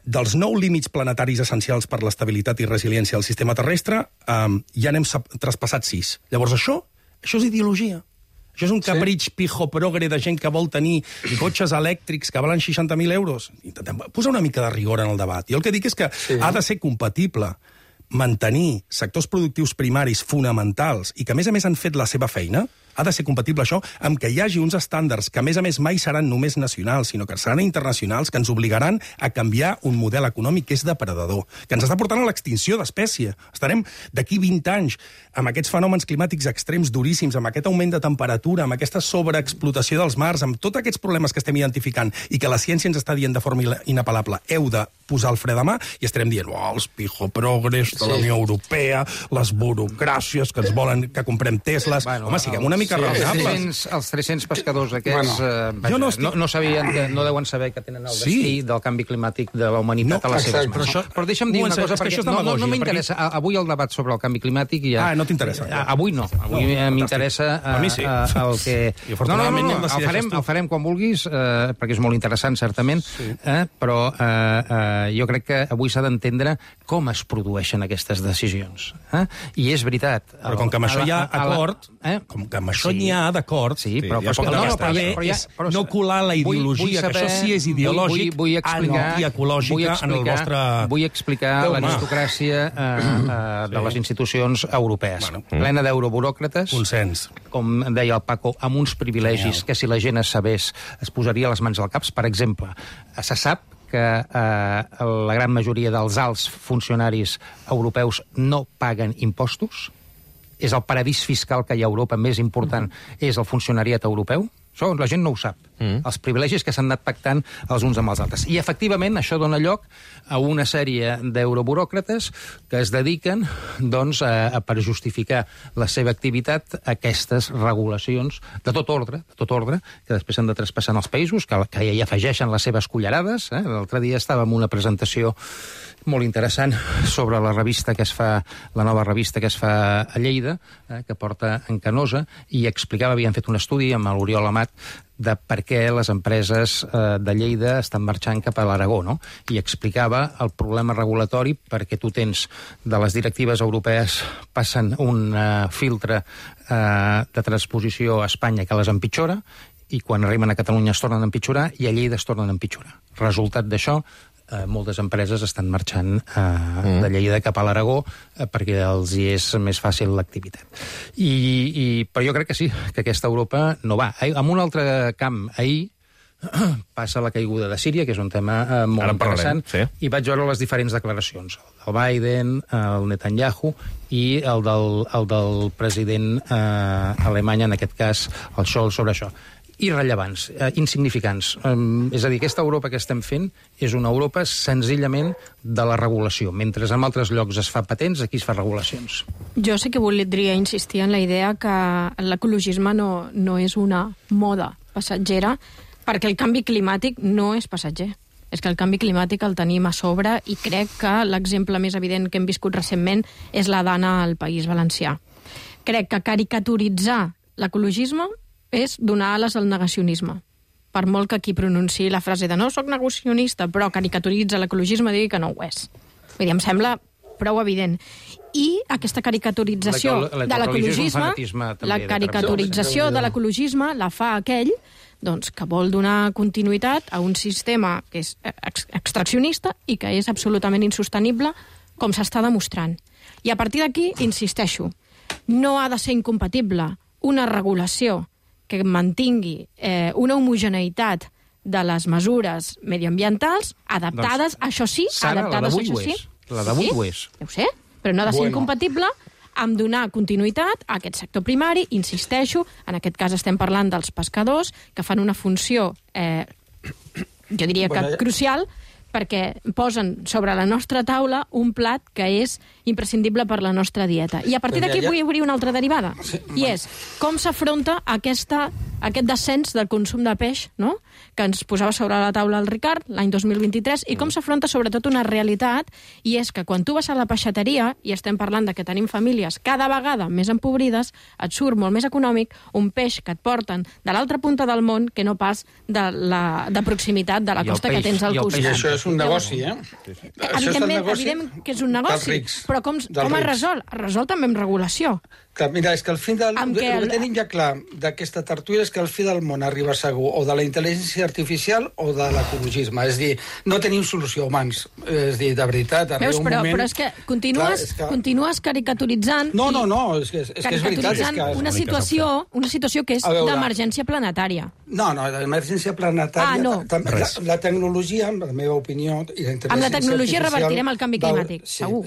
dels 9 límits planetaris essencials per l'estabilitat i resiliència del sistema terrestre, ja n'hem traspassat 6. Llavors això és ideologia. Això és un capritx pijoprogre de gent que vol tenir cotxes elèctrics que valen 60.000 euros. Intentem posar una mica de rigor en el debat. Jo el que dic és que ha de ser compatible mantenir sectors productius primaris fonamentals i que, a més han fet la seva feina, ha de ser compatible això amb que hi hagi uns estàndards que, a més mai seran només nacionals, sinó que seran internacionals, que ens obligaran a canviar un model econòmic que és depredador, que ens està portant a l'extinció d'espècie. Estarem d'aquí 20 anys amb aquests fenòmens climàtics extrems duríssims, amb aquest augment de temperatura, amb aquesta sobreexplotació dels mars, amb tots aquests problemes que estem identificant i que la ciència ens està dient de forma inapel·lable. Heu de posar el fre de mà i estarem dient els pijoprogres de la Unió Europea, les burocràcies que ens volen que comprem Tesles. Home, siguem una mica raonables. Els 300 pescadors aquests no deuen saber que tenen el destí del canvi climàtic de la humanitat a les seves mans. Però deixa'm dir una cosa, perquè no m'interessa. Avui el debat sobre el canvi climàtic ja... no t'interessa. Avui no. Avui m'interessa el que... El farem quan vulguis, perquè és molt interessant, certament, però jo crec que avui s'ha d'entendre com es produeixen aquestes decisions. I és veritat. Però com que amb això hi ha acord, com que amb això n'hi ha d'acord, no colar la ideologia, que això sí és ideològic, antiecològica en el vostre... Vull explicar l'aristocràcia de les institucions europees. Plena d'euroburòcrates. Consens. Com deia el Paco, amb uns privilegis que si la gent es sabés es posaria les mans al caps. Per exemple, se sap que la gran majoria dels alts funcionaris europeus no paguen impostos. És el paradís fiscal que hi ha a Europa més important, és el funcionariat europeu. Això la gent no ho sap. Els privilegis que s'han anat pactant els uns amb els altres. I, efectivament, això dona lloc a una sèrie d'euroburòcrates que es dediquen, doncs, per justificar la seva activitat, a aquestes regulacions de tot ordre, que després s'han de traspassar als països, que hi afegeixen les seves cullerades. L'altre dia estava en una presentació molt interessant sobre la revista que es fa, la nova revista que es fa a Lleida, que porta en Canosa, i explicava, havien fet un estudi amb l'Oriol Amat, de per què les empreses de Lleida estan marxant cap a l'Aragó, no? I explicava el problema regulatori perquè tu tens de les directives europees passen un filtre de transposició a Espanya que les empitjora i quan arriben a Catalunya es tornen a empitjorar i a Lleida es tornen a empitjorar. Resultat d'això, moltes empreses estan marxant de Lleida cap a l'Aragó perquè els hi és més fàcil l'activitat. Però jo crec que sí, que aquesta Europa no va. En un altre camp, ahir passa la caiguda de Síria, que és un tema molt interessant, i vaig veure les diferents declaracions. El Biden, el Netanyahu i el del president alemany, en aquest cas, el Scholz, sobre això. Irrellevants, insignificants. És a dir, aquesta Europa que estem fent és una Europa senzillament de la regulació. Mentre en altres llocs es fa patents, aquí es fa regulacions. Jo sí que voldria insistir en la idea que l'ecologisme no és una moda passatgera, perquè el canvi climàtic no és passatger. És que el canvi climàtic el tenim a sobre i crec que l'exemple més evident que hem viscut recentment és la dana al País Valencià. Crec que caricaturitzar l'ecologisme és donar ales al negacionisme. Per molt que qui pronunciï la frase de no soc negacionista, però caricaturitza l'ecologisme, digui que no ho és. Vull dir, em sembla prou evident. I aquesta caricaturització de l'ecologisme, la caricaturització de l'ecologisme la fa aquell que vol donar continuïtat a un sistema que és extraccionista i que és absolutament insostenible, com s'està demostrant. I a partir d'aquí, insisteixo, no ha de ser incompatible una regulació que mantingui una homogeneïtat de les mesures mediambientals adaptades, això sí, adaptades, això sí. La d'avui ho és. Ja ho sé, però no ha de ser incompatible amb donar continuïtat a aquest sector primari. Insisteixo, en aquest cas estem parlant dels pescadors, que fan una funció, jo diria que crucial, perquè posen sobre la nostra taula un plat que és imprescindible per la nostra dieta. I a partir d'aquí vull obrir una altra derivada, i és com s'afronta aquest descens del consum de peix, no?, que ens posava sobre la taula el Ricard l'any 2023, i com s'afronta sobretot una realitat, i és que quan tu vas a la peixateria, i estem parlant de que tenim famílies cada vegada més empobrides, et surt molt més econòmic un peix que et porten de l'altra punta del món que no pas de proximitat de la costa que tens al costat. I això és un negoci, Evidentment que és un negoci, però com es resol? Es resol també amb regulació. Clar, mira, és que el fi del... El que tenim ja clar d'aquesta tertúlia és que el fi del món arriba segur o de la intel·ligència artificial o de l'ecologisme. És dir, no tenim solució, humans. És dir, de veritat, arriba un moment... Però és que continues caricaturitzant... No, és que és veritat. Una situació que és d'emergència planetària. No, d'emergència planetària... La tecnologia, en la meva opinió... Amb la tecnologia revertirem el canvi climàtic, segur.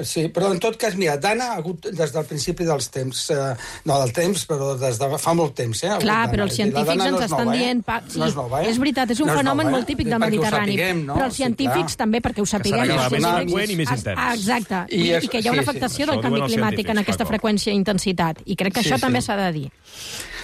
Sí, però en tot cas, mira, Dana ha hagut des del principi dels temps, no del temps, però des de fa molt temps. Clar, però els científics ens estan dient... No és nova, És veritat, és un fenomen molt típic del Mediterrani. Però els científics també, perquè ho sapiguem... Exacte, i que hi ha una afectació del canvi climàtic en aquesta freqüència i intensitat. I crec que això també s'ha de dir.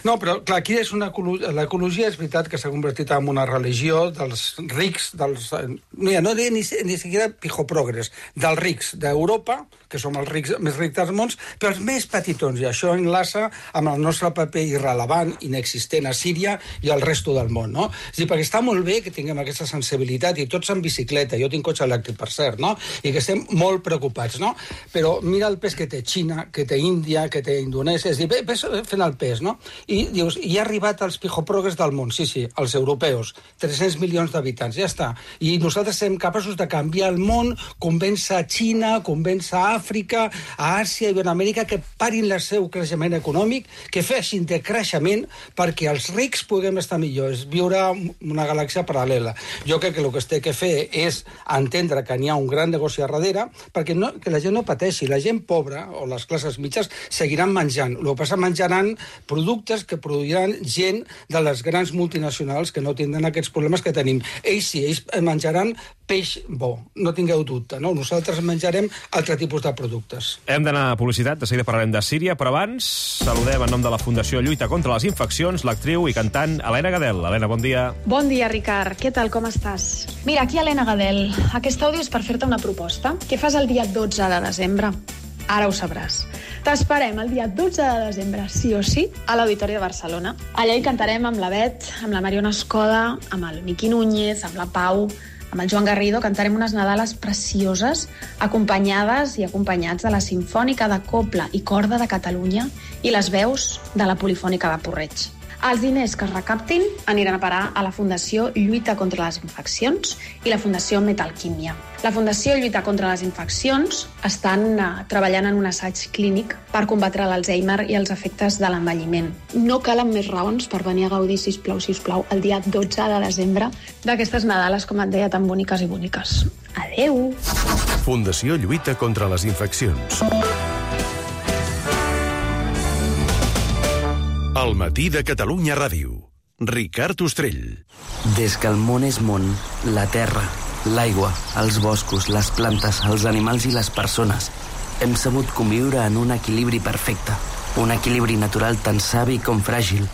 No, però, clar, aquí és l'ecologia és veritat que s'ha convertit en una religió dels rics, no diré ni siquiera pijoprogres, dels rics d'Europa, que som els rics més rics dels mons, però els més petitons, i això enlaça amb el nostre paper irrelevant, inexistent a Síria i al resto del món, no? És a dir, perquè està molt bé que tinguem aquesta sensibilitat, i tots en bicicleta, jo tinc cotxe elèctric, per cert, no? I que estem molt preocupats, no? Però mira el pes que té Xina, que té Índia, que té Indonèsia, és a dir, ves fent el pes, no? I dius, hi ha arribat els pijoprogres del món, sí, els europeus, 300 milions d'habitants, ja està. I nosaltres serem capaços de canviar el món, convèncer a Xina, convèncer a Àfrica, a Àsia i Iberoamèrica que parin el seu creixement econòmic, que feixin de creixement perquè els rics puguem estar millor, és viure una galàxia paral·lela. Jo crec que el que es té que fer és entendre que n'hi ha un gran negoci a darrere perquè que la gent no pateixi. La gent pobra o les classes mitjanes seguiran menjant. El que passa, menjaran productes que produiran gent de les grans multinacionals que no tindran aquests problemes que tenim. Ells sí, ells menjaran peix bo, no tingueu dubte, no? Nosaltres menjarem altre tipus de productes. Hem d'anar a publicitat, de seguida parlarem de Síria, però abans saludem en nom de la Fundació Lluita contra les Infeccions l'actriu i cantant Helena Gadel. Helena, bon dia. Bon dia, Ricard. Què tal, com estàs? Mira, aquí Helena Gadel. Aquest àudio és per fer-te una proposta. Què fas el dia 12 de desembre? Ara ho sabràs. T'esperem el dia 12 de desembre, sí o sí, a l'Auditori de Barcelona. Allà hi cantarem amb la Bet, amb la Mariona Escoda, amb el Miqui Núñez, amb la Pau, amb el Joan Garrido. Cantarem unes Nadales precioses, acompanyades i acompanyats de la Simfònica de Cobla i Corda de Catalunya i les veus de la Polifònica de Porreig. Els diners que es recaptin aniran a parar a la Fundació Lluita contra les Infeccions i la Fundació Metalquímia. La Fundació Lluita contra les Infeccions estan treballant en un assaig clínic per combatre l'Alzheimer i els efectes de l'envelliment. No calen més raons per venir a gaudir, sisplau, el dia 12 de desembre d'aquestes Nadales, com et deia, tan boniques i boniques. Adeu! Fundació Lluita contra les Infeccions. El matí de Catalunya Ràdio. Ricard Ostrell. Des que el món és món, la terra, l'aigua, els boscos, les plantes, els animals i les persones hem sabut conviure en un equilibri perfecte. Un equilibri natural tan savi com fràgil,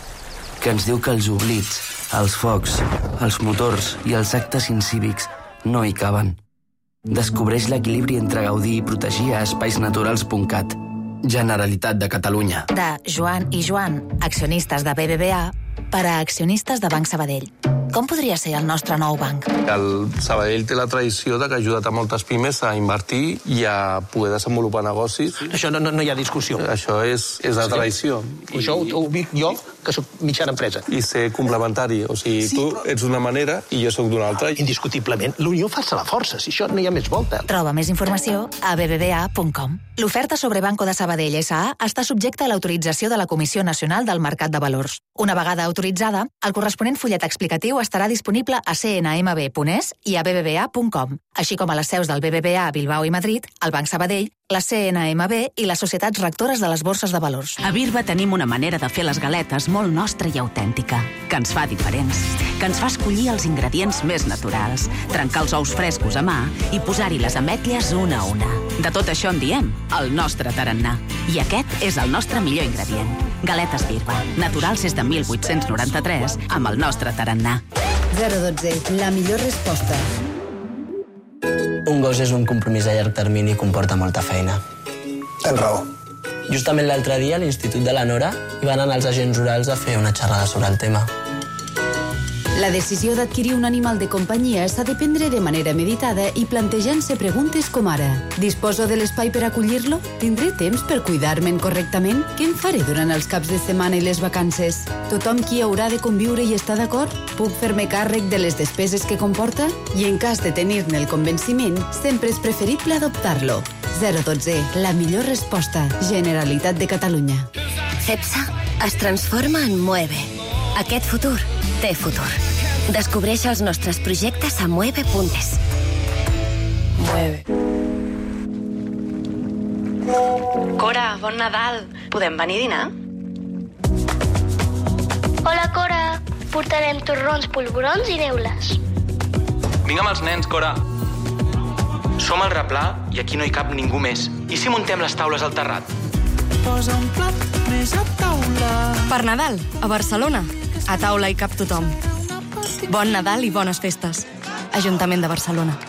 que ens diu que els oblits, els focs, els motors i els actes incívics no hi caben. Descobreix l'equilibri entre gaudir i protegir a espaisnaturals.cat. Generalitat de Catalunya. De Joan i Joan, accionistes de BBVA, per a accionistes de Banc Sabadell. Com podria ser el nostre nou banc? El Sabadell té la tradició de que ha ajudat a moltes pimes a invertir i a poder desenvolupar negocis. Això no hi ha discussió. Això és la tradició. Això ho dic jo, que soc mitjana empresa. I ser complementari. O sigui, tu ets d'una manera i jo sóc d'una altra. Indiscutiblement, l'unió fa la força, si això no hi ha més volta. Troba més informació a bbva.com. L'oferta sobre Banco de Sabadell S.A. està subjecta a l'autorització de la Comissió Nacional del Mercat de Valors. Una vegada autoritzada, el corresponent fullet explicatiu estarà disponible a cnmb.es i a bbva.com, així com a les seus del BBVA a Bilbao i Madrid, el Banc Sabadell, la CNMB i les societats rectores de les borses de valors. A Birba tenim una manera de fer les galetes molt nostra i autèntica, que ens fa diferents, que ens fa escollir els ingredients més naturals, trencar els ous frescos a mà i posar-hi les ametlles una a una. De tot això en diem el nostre tarannà. I aquest és el nostre millor ingredient. Galetes Birba, naturals des de 1893, amb el nostre tarannà. 012, la millor resposta. Un gos és un compromís a llarg termini i comporta molta feina. Tens raó. Justament l'altre dia a l'Institut de la Nora hi van anar els agents rurals a fer una xerrada sobre el tema. La decisió d'adquirir un animal de companyia s'ha de prendre de manera meditada i plantejant-se preguntes com ara: disposo de l'espai per acollir-lo? Tindré temps per cuidar-me'n correctament? Què em faré durant els caps de setmana i les vacances? Tothom qui haurà de conviure i està d'acord? Puc fer-me càrrec de les despeses que comporta? I en cas de tenir-ne el convenciment, sempre és preferible adoptar-lo. 012, la millor resposta. Generalitat de Catalunya. CEPSA es transforma en Mueve. Aquest futur té futur. Descobreix els nostres projectes a mueve.es. Mueve. Cora, bon Nadal. Podem venir a dinar? Hola, Cora. Portarem torrons, polvorons i neules. Vinga amb els nens, Cora. Som al replà i aquí no hi cap ningú més. I si muntem les taules al terrat? Posa un plat més a taula. Per Nadal, a Barcelona. A taula hi cap tothom. Bon Nadal i bones festes. Ajuntament de Barcelona.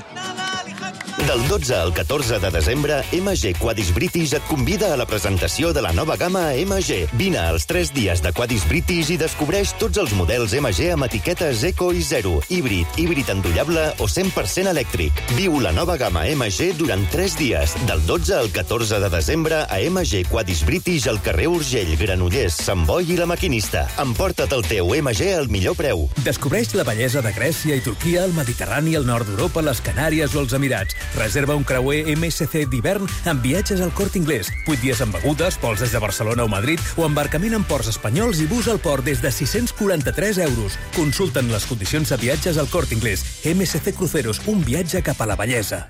Del 12 al 14 de desembre, MG Quadis British et convida a la presentació de la nova gamma MG. Vine als 3 dies de Quadis British i descobreix tots els models MG amb etiquetes Eco i Zero, híbrid endollable o 100% elèctric. Viu la nova gamma MG durant 3 dies, del 12 al 14 de desembre a MG Quadis British al carrer Urgell, Granollers, Sant Boi i La Maquinista. Emporta't el teu MG al millor preu. Descobreix la bellesa de Grècia i Turquia, el Mediterrani, el nord d'Europa, les Canàries o els Emirats. Reserva un creuer MSC d'hivern amb viatges al Corte Inglés. 8 dies amb begudes, vols des de Barcelona o Madrid o embarcament en ports espanyols i bus al port des de 643 euros. Consulta'n les condicions de viatges al Corte Inglés. MSC Cruceros, un viatge cap a la bellesa.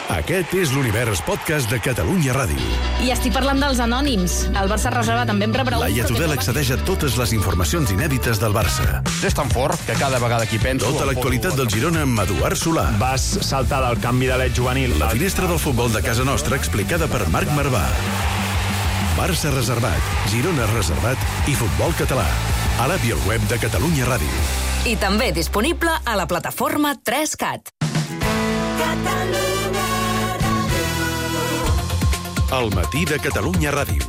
Aquest és l'Univers Podcast de Catalunya Ràdio. I estic parlant dels anònims. El Barça reserva també em rebrà... Laia Tudel accedeix a totes les informacions inèdites del Barça. És tan fort que cada vegada que penso... Tota l'actualitat del Girona amb Eduard Solà. Vas saltar del canvi de l'et juvenil. La finestra del futbol de casa nostra explicada per Marc Marvà. Barça reservat, Girona reservat i futbol català. A l'app i al web de Catalunya Ràdio. I també disponible a la plataforma 3CAT. El matí de Catalunya Ràdio.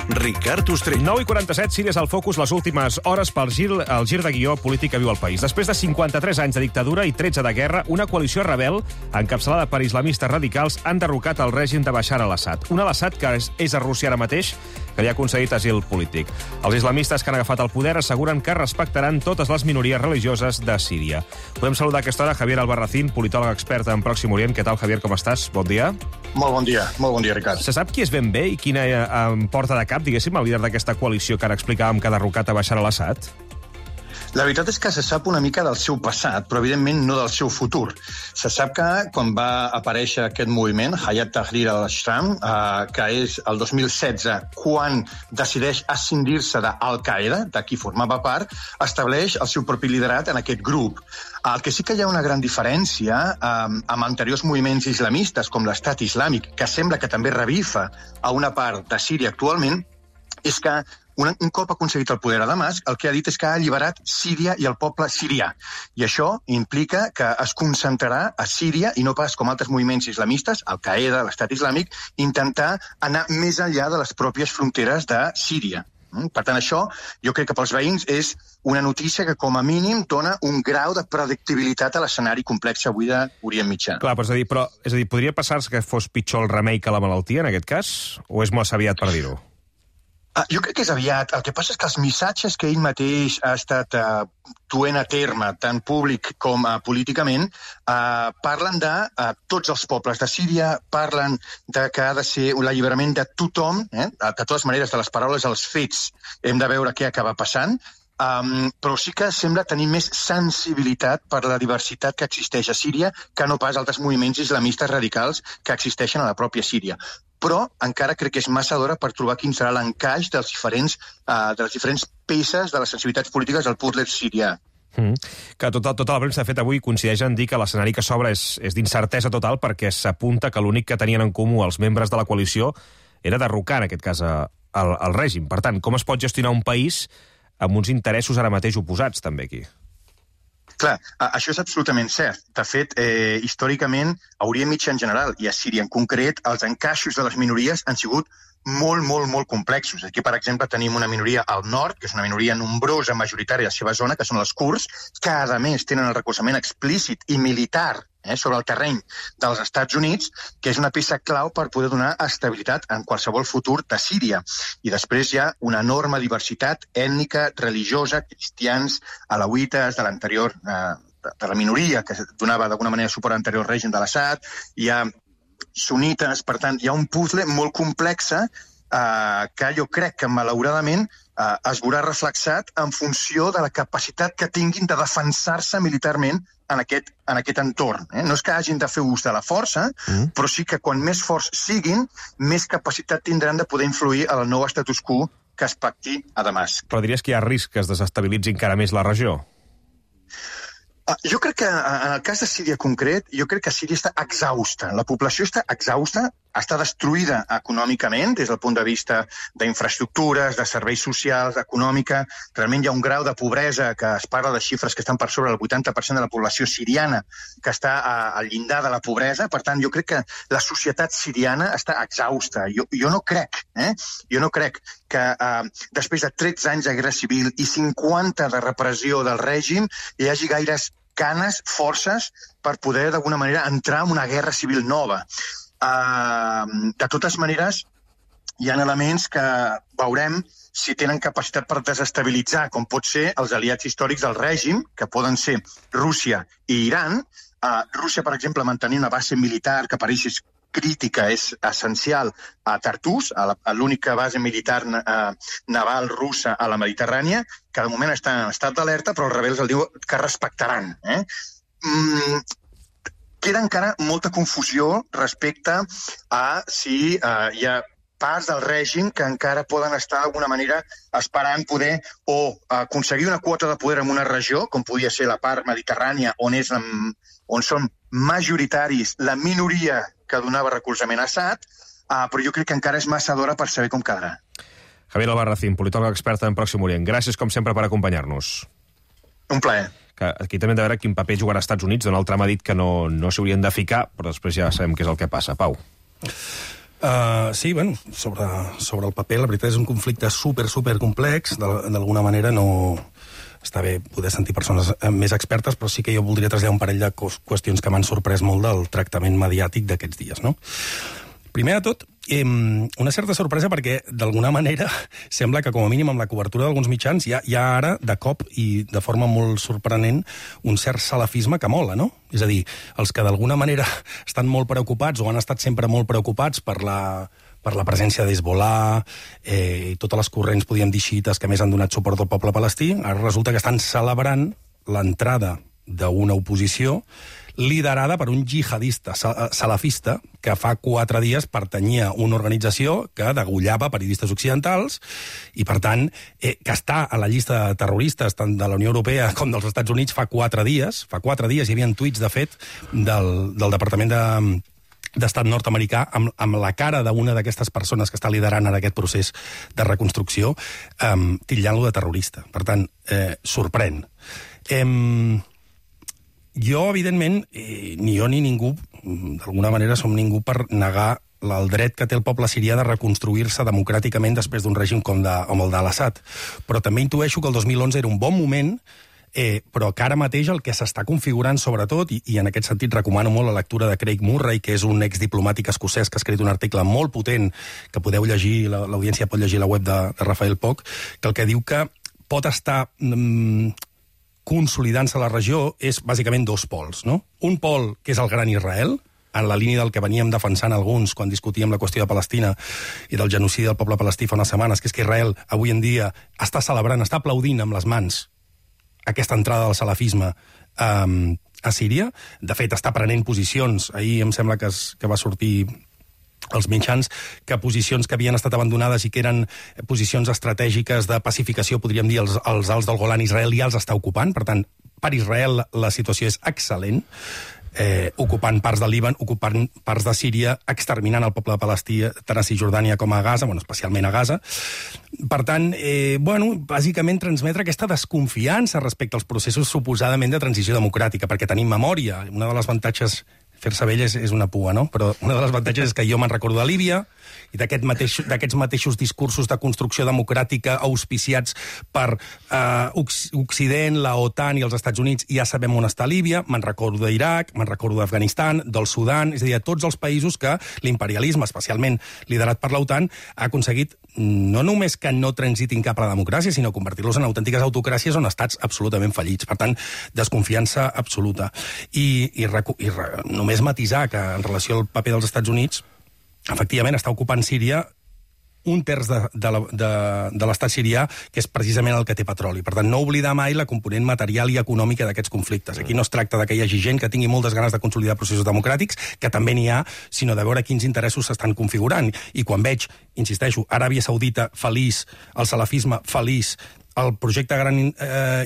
Ricard Ostrell. 9:47, Síria és el focus les últimes hores pel gir de guió polític que viu el país. Després de 53 anys de dictadura i 13 de guerra, una coalició rebel, encapçalada per islamistes radicals, han derrocat el règim de Bashar al-Assad. Un al-Assad que és a Rússia ara mateix, que li ha concedit asil polític. Els islamistes que han agafat el poder asseguren que respectaran totes les minories religioses de Síria. Podem saludar a aquesta hora Javier Albarracín, politòleg expert en Pròxim Orient. Què tal, Javier, com estàs? Bon dia. Molt bon dia, Ricard. Se sap qui és ben bé i quina porta de cap, diguéssim, el líder d'aquesta coalició que ara explicàvem que ha derrocat a Bashar al-Assad? La veritat és que se sap una mica del seu passat, però evidentment no del seu futur. Se sap que quan va aparèixer aquest moviment, Hayat Tahrir al-Sham, que és el 2016, quan decideix escindir-se d'Al-Qaeda, de qui formava part, estableix el seu propi liderat en aquest grup. El que sí que hi ha una gran diferència amb anteriors moviments islamistes, com l'Estat Islàmic, que sembla que també revifa a una part de Síria actualment, és que un cop aconseguit el poder a Damasc, el que ha dit és que ha alliberat Síria i el poble sirià. I això implica que es concentrarà a Síria i no pas com altres moviments islamistes, Al-Qaeda, l'Estat Islàmic, intentar anar més enllà de les pròpies fronteres de Síria. Per tant, això jo crec que pels veïns és una notícia que com a mínim dona un grau de predictibilitat a l'escenari complex avui d'Orient Mitjà. Clar, però és a dir, podria passar-se que fos pitjor el remei que la malaltia, en aquest cas? O és massa aviat per dir-ho? Jo crec que és aviat. El que passa és que els missatges que ell mateix ha estat duent a terme, tant públic com políticament, parlen de tots els pobles de Síria, parlen de que ha de ser l'alliberament de tothom, de totes maneres, de les paraules als fets, hem de veure què acaba passant, però sí que sembla tenir més sensibilitat per la diversitat que existeix a Síria que no pas altres moviments islamistes radicals que existeixen a la pròpia Síria. Però encara crec que és massa d'hora per trobar quin serà l'encaix de les diferents peces de les sensibilitats polítiques del puzzle sirià. Que tota la premsa, de fet, avui coincideix en dir que l'escenari que s'obre és d'incertesa total perquè s'apunta que l'únic que tenien en comú els membres de la coalició era derrocar, en aquest cas, el règim. Per tant, com es pot gestionar un país amb uns interessos ara mateix oposats, també, aquí? Clar, això és absolutament cert. De fet, històricament, a Orient Mitjà en general i a Síria en concret, els encaixos de les minories han sigut molt complexos. Aquí, per exemple, tenim una minoria al nord, que és una minoria nombrosa, majoritària a la seva zona, que són els kurds, que, a més, tenen el recolzament explícit i militar sobre el terreny dels Estats Units, que és una peça clau per poder donar estabilitat en qualsevol futur de Síria. I després hi ha una enorme diversitat ètnica, religiosa, cristians, alauites, de l'anterior, de la minoria, que donava d'alguna manera suport a l'anterior règim de l'Assad, hi ha sunites, per tant, hi ha un puzzle molt complex que jo crec que, malauradament, es veurà reflexat en funció de la capacitat que tinguin de defensar-se militarment en aquest entorn. No és que hagin de fer ús de la força, però sí que quan més forts siguin, més capacitat tindran de poder influir en el nou status quo que es pacti a Damasc. Però diries que hi ha risc que es desestabilitzi encara més la regió? Jo crec que, en el cas de Síria concret, jo crec que Síria està exhausta. La població està exhausta, està destruïda econòmicament, des del punt de vista d'infraestructures, de serveis socials, econòmica. Realment hi ha un grau de pobresa que es parla de xifres que estan per sobre del 80% de la població siriana que està al llindar de la pobresa. Per tant, jo crec que la societat siriana està exhausta. Jo no crec que després de 13 anys de guerra civil i 50 de repressió del règim hi hagi gaires ganes, forces, per poder, d'alguna manera, entrar en una guerra civil nova. De totes maneres, hi ha elements que veurem si tenen capacitat per desestabilitzar, com pot ser els aliats històrics del règim, que poden ser Rússia i Iran. Rússia, per exemple, mantenir una base militar que pareix crítica és essencial a Tartús, a l'única base militar naval russa a la Mediterrània, que de moment està en estat d'alerta, però els rebels el diuen que respectaran. Queda encara molta confusió respecte a si hi ha parts del règim que encara poden estar d'alguna manera esperant poder o aconseguir una quota de poder en una regió, com podia ser la part mediterrània, on són majoritaris la minoria que donava recolzament a Assad, però jo crec que encara és massa d'hora per saber com quedarà. Javier Albarracín, politòleg experta en Pròxim Orient. Gràcies, com sempre, per acompanyar-nos. Un plaer. Aquí també hem de veure quin paper jugarà als Estats Units. Donald Trump ha dit que no s'haurien de ficar, però després ja sabem què és el que passa. Pau. Sí, bueno, sobre el paper, la veritat és un conflicte super complex. D'alguna manera no... Està bé poder sentir persones més expertes, però sí que jo voldria traslladar un parell de qüestions que m'han sorprès molt del tractament mediàtic d'aquests dies, no? Primer de tot, una certa sorpresa perquè, d'alguna manera, sembla que, com a mínim, amb la cobertura d'alguns mitjans, hi ha ara, de cop i de forma molt sorprenent, un cert salafisme que mola, no? És a dir, els que d'alguna manera estan molt preocupats o han estat sempre molt preocupats per la presència d'Hezbollah i totes les corrents, podríem dir, xiites que més han donat suport al poble palestí, ara resulta que estan celebrant l'entrada d'una oposició liderada per un jihadista salafista que fa 4 dies pertanyia a una organització que degollava periodistes occidentals i, per tant, que està a la llista de terroristes tant de la Unió Europea com dels Estats Units fa 4 dies. Fa 4 dies hi havia tuits, de fet, del Departament d'Estat nord-americà amb la cara d'una d'aquestes persones que està liderant ara aquest procés de reconstrucció, titllant-lo de terrorista. Per tant, sorprèn. Jo, evidentment, ni jo ni ningú, d'alguna manera som ningú per negar el dret que té el poble sirià de reconstruir-se democràticament després d'un règim com el de l'Assad. Però també intueixo que el 2011 era un bon moment, però que ara mateix el que s'està configurant sobretot, i en aquest sentit recomano molt la lectura de Craig Murray, que és un exdiplomàtic escocès que ha escrit un article molt potent, que podeu llegir, l'audiència pot llegir a la web de Rafael Poch, que el que diu que pot estar consolidant-se a la regió és bàsicament dos pols, no? Un pol, que és el gran Israel, en la línia del que veníem defensant alguns quan discutíem la qüestió de Palestina i del genocidi del poble palestí fa unes setmanes, que és que Israel avui en dia està celebrant, està aplaudint amb les mans aquesta entrada del salafisme a Síria. De fet, està prenent posicions. Ahir em sembla que va sortir els mitjans, que posicions que havien estat abandonades i que eren posicions estratègiques de pacificació, podríem dir, els alts del Golan, Israel ja els està ocupant. Per tant, per Israel la situació és excel·lent, ocupant parts del Líban, ocupant parts de Síria, exterminant el poble de Palestí, tant a Cisjordània com a Gaza, especialment a Gaza. Per tant, bàsicament transmetre aquesta desconfiança respecte als processos suposadament de transició democràtica, perquè tenim memòria. Una de les avantatges, fer-se vell és una pua, no? Però una de les avantatges és que jo me'n recordo de Líbia, i d'aquests mateixos discursos de construcció democràtica auspiciats per Occident, la OTAN i els Estats Units, ja sabem on està Líbia, me'n recordo d'Iraq, me'n recordo d'Afganistan, del Sudan, és a dir, de tots els països que l'imperialisme, especialment liderat per l'OTAN, ha aconseguit no només que no transitin cap a la democràcia, sinó convertir-los en autèntiques autocràcies on estats absolutament fallits. Per tant, desconfiança absoluta. I només matisar que en relació al paper dels Estats Units, efectivament, està ocupant Síria un terç de l'estat sirià, que és precisament el que té petroli. Per tant, no oblidar mai la component material i econòmica d'aquests conflictes. Aquí no es tracta que hi hagi gent que tingui moltes ganes de consolidar processos democràtics, que també n'hi ha, sinó de veure quins interessos s'estan configurant. I quan veig, insisteixo, Aràbia Saudita feliç, el salafisme feliç, el projecte Gran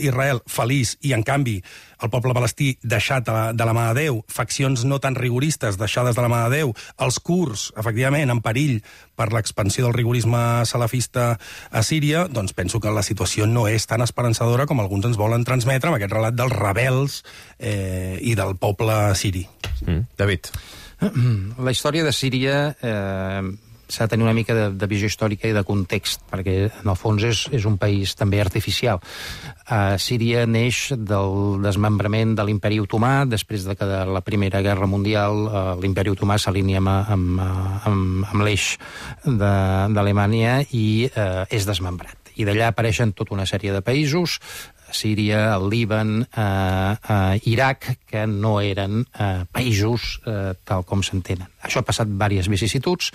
Israel feliç, i en canvi el poble palestí deixat de la mà de Déu, faccions no tan rigoristes deixades de la mà de Déu, els kurds, efectivament, en perill per l'expansió del rigorisme salafista a Síria, doncs penso que la situació no és tan esperançadora com alguns ens volen transmetre amb aquest relat dels rebels i del poble siri. David. La història de Síria s'ha de tenir una mica de visió històrica i de context, perquè en el fons és un país també artificial. Síria neix del desmembrament de l'imperi otomà, després de que de la Primera Guerra Mundial l'imperi otomà s'alinea amb l'eix d'Alemanya i és desmembrat. I d'allà apareixen tota una sèrie de països, Síria, el Líban, Iraq, que no eren països tal com s'entenen. Això ha passat diverses vicissituds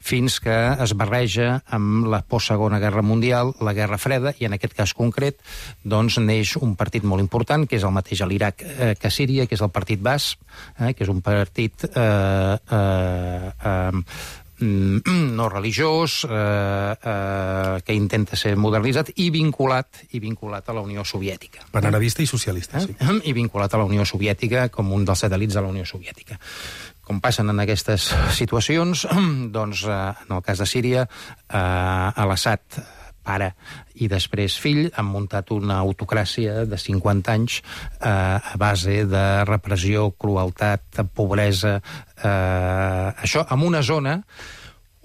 fins que es barreja amb la postsegona Guerra Mundial, la Guerra Freda, i en aquest cas concret doncs neix un partit molt important, que és el mateix a l'Iraq que a Síria, que és el Partit Bas, que és un partit no religiós, que intenta ser modernitzat i vinculat a la Unió Soviètica. Panarabista i socialista, sí. I vinculat a la Unió Soviètica com un dels satèl·lits de la Unió Soviètica. Com passen en aquestes situacions, doncs, en el cas de Síria, l'Assad, pare i després fill, han muntat una autocràcia de 50 anys a base de repressió, crueltat, pobresa, això en una zona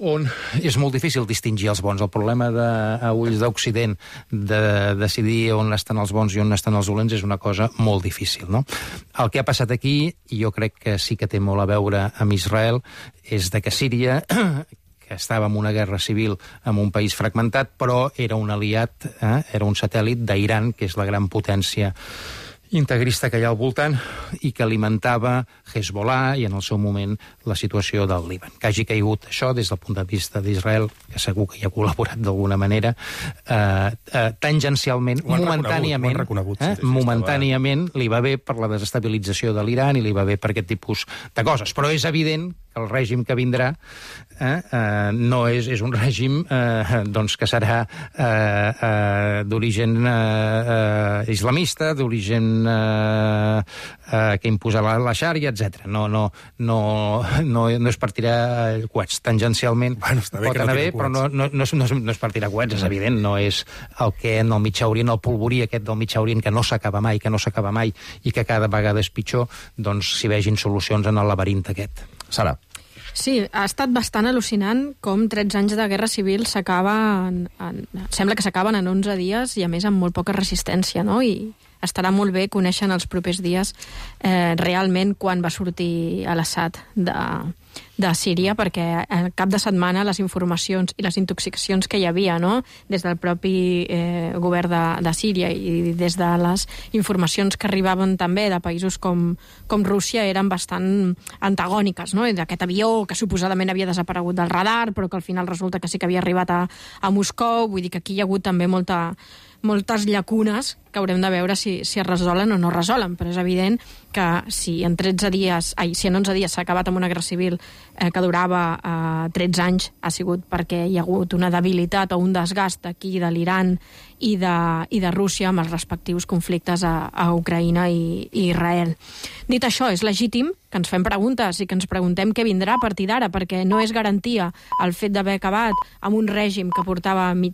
on és molt difícil distingir els bons. El problema a ulls d'Occident de decidir on estan els bons i on estan els dolents és una cosa molt difícil, no? El que ha passat aquí, i jo crec que sí que té molt a veure amb Israel, és de que Síria, que estava en una guerra civil amb un país fragmentat, però era un aliat, era un satèl·lit d'Iran, que és la gran potència integrista que hi ha al voltant i que alimentava Hezbollah i en el seu moment la situació del Líban. Que hagi caigut això des del punt de vista d'Israel, que segur que hi ha col·laborat d'alguna manera, tangencialment, momentàniament li va bé per la desestabilització de l'Iran i li va bé per aquest tipus de coses. Però és evident que el règim que vindrà no és un règim doncs que serà d'origen islamista, d'origen que imposarà la xària, etc. No és per tirar coets. Tangencialment pot anar bé, però no és per tirar coets, és evident. No és el que en el Mitjà Orient, el polvorí aquest del Mitjà Orient, que no s'acaba mai i que cada vegada és pitjor, doncs s'hi vegin solucions en el laberint aquest. Sara. Sí, ha estat bastant al·lucinant com 13 anys de guerra civil sembla que s'acaben en 11 dies i a més amb molt poca resistència, no? I estarà molt bé conèixer en els propers dies realment quan va sortir l'Assad de Síria, perquè al cap de setmana les informacions i les intoxicacions que hi havia, no? Des del propi govern de Síria i des de les informacions que arribaven també de països com Rússia eren bastant antagòniques, no? D'aquest avió que suposadament havia desaparegut del radar però que al final resulta que sí que havia arribat a Moscou. Vull dir que aquí hi ha hagut també moltes llacunes que haurem de veure si es resolen o no resolen, però és evident que si en 11 dies s'ha acabat amb una guerra civil que durava 13 anys, ha sigut perquè hi ha hagut una debilitat o un desgast aquí de l'Iran i de Rússia amb els respectius conflictes a Ucraïna i Israel. Dit això, és legítim que ens fem preguntes i que ens preguntem què vindrà a partir d'ara, perquè no és garantia el fet d'haver acabat amb un règim que portava mig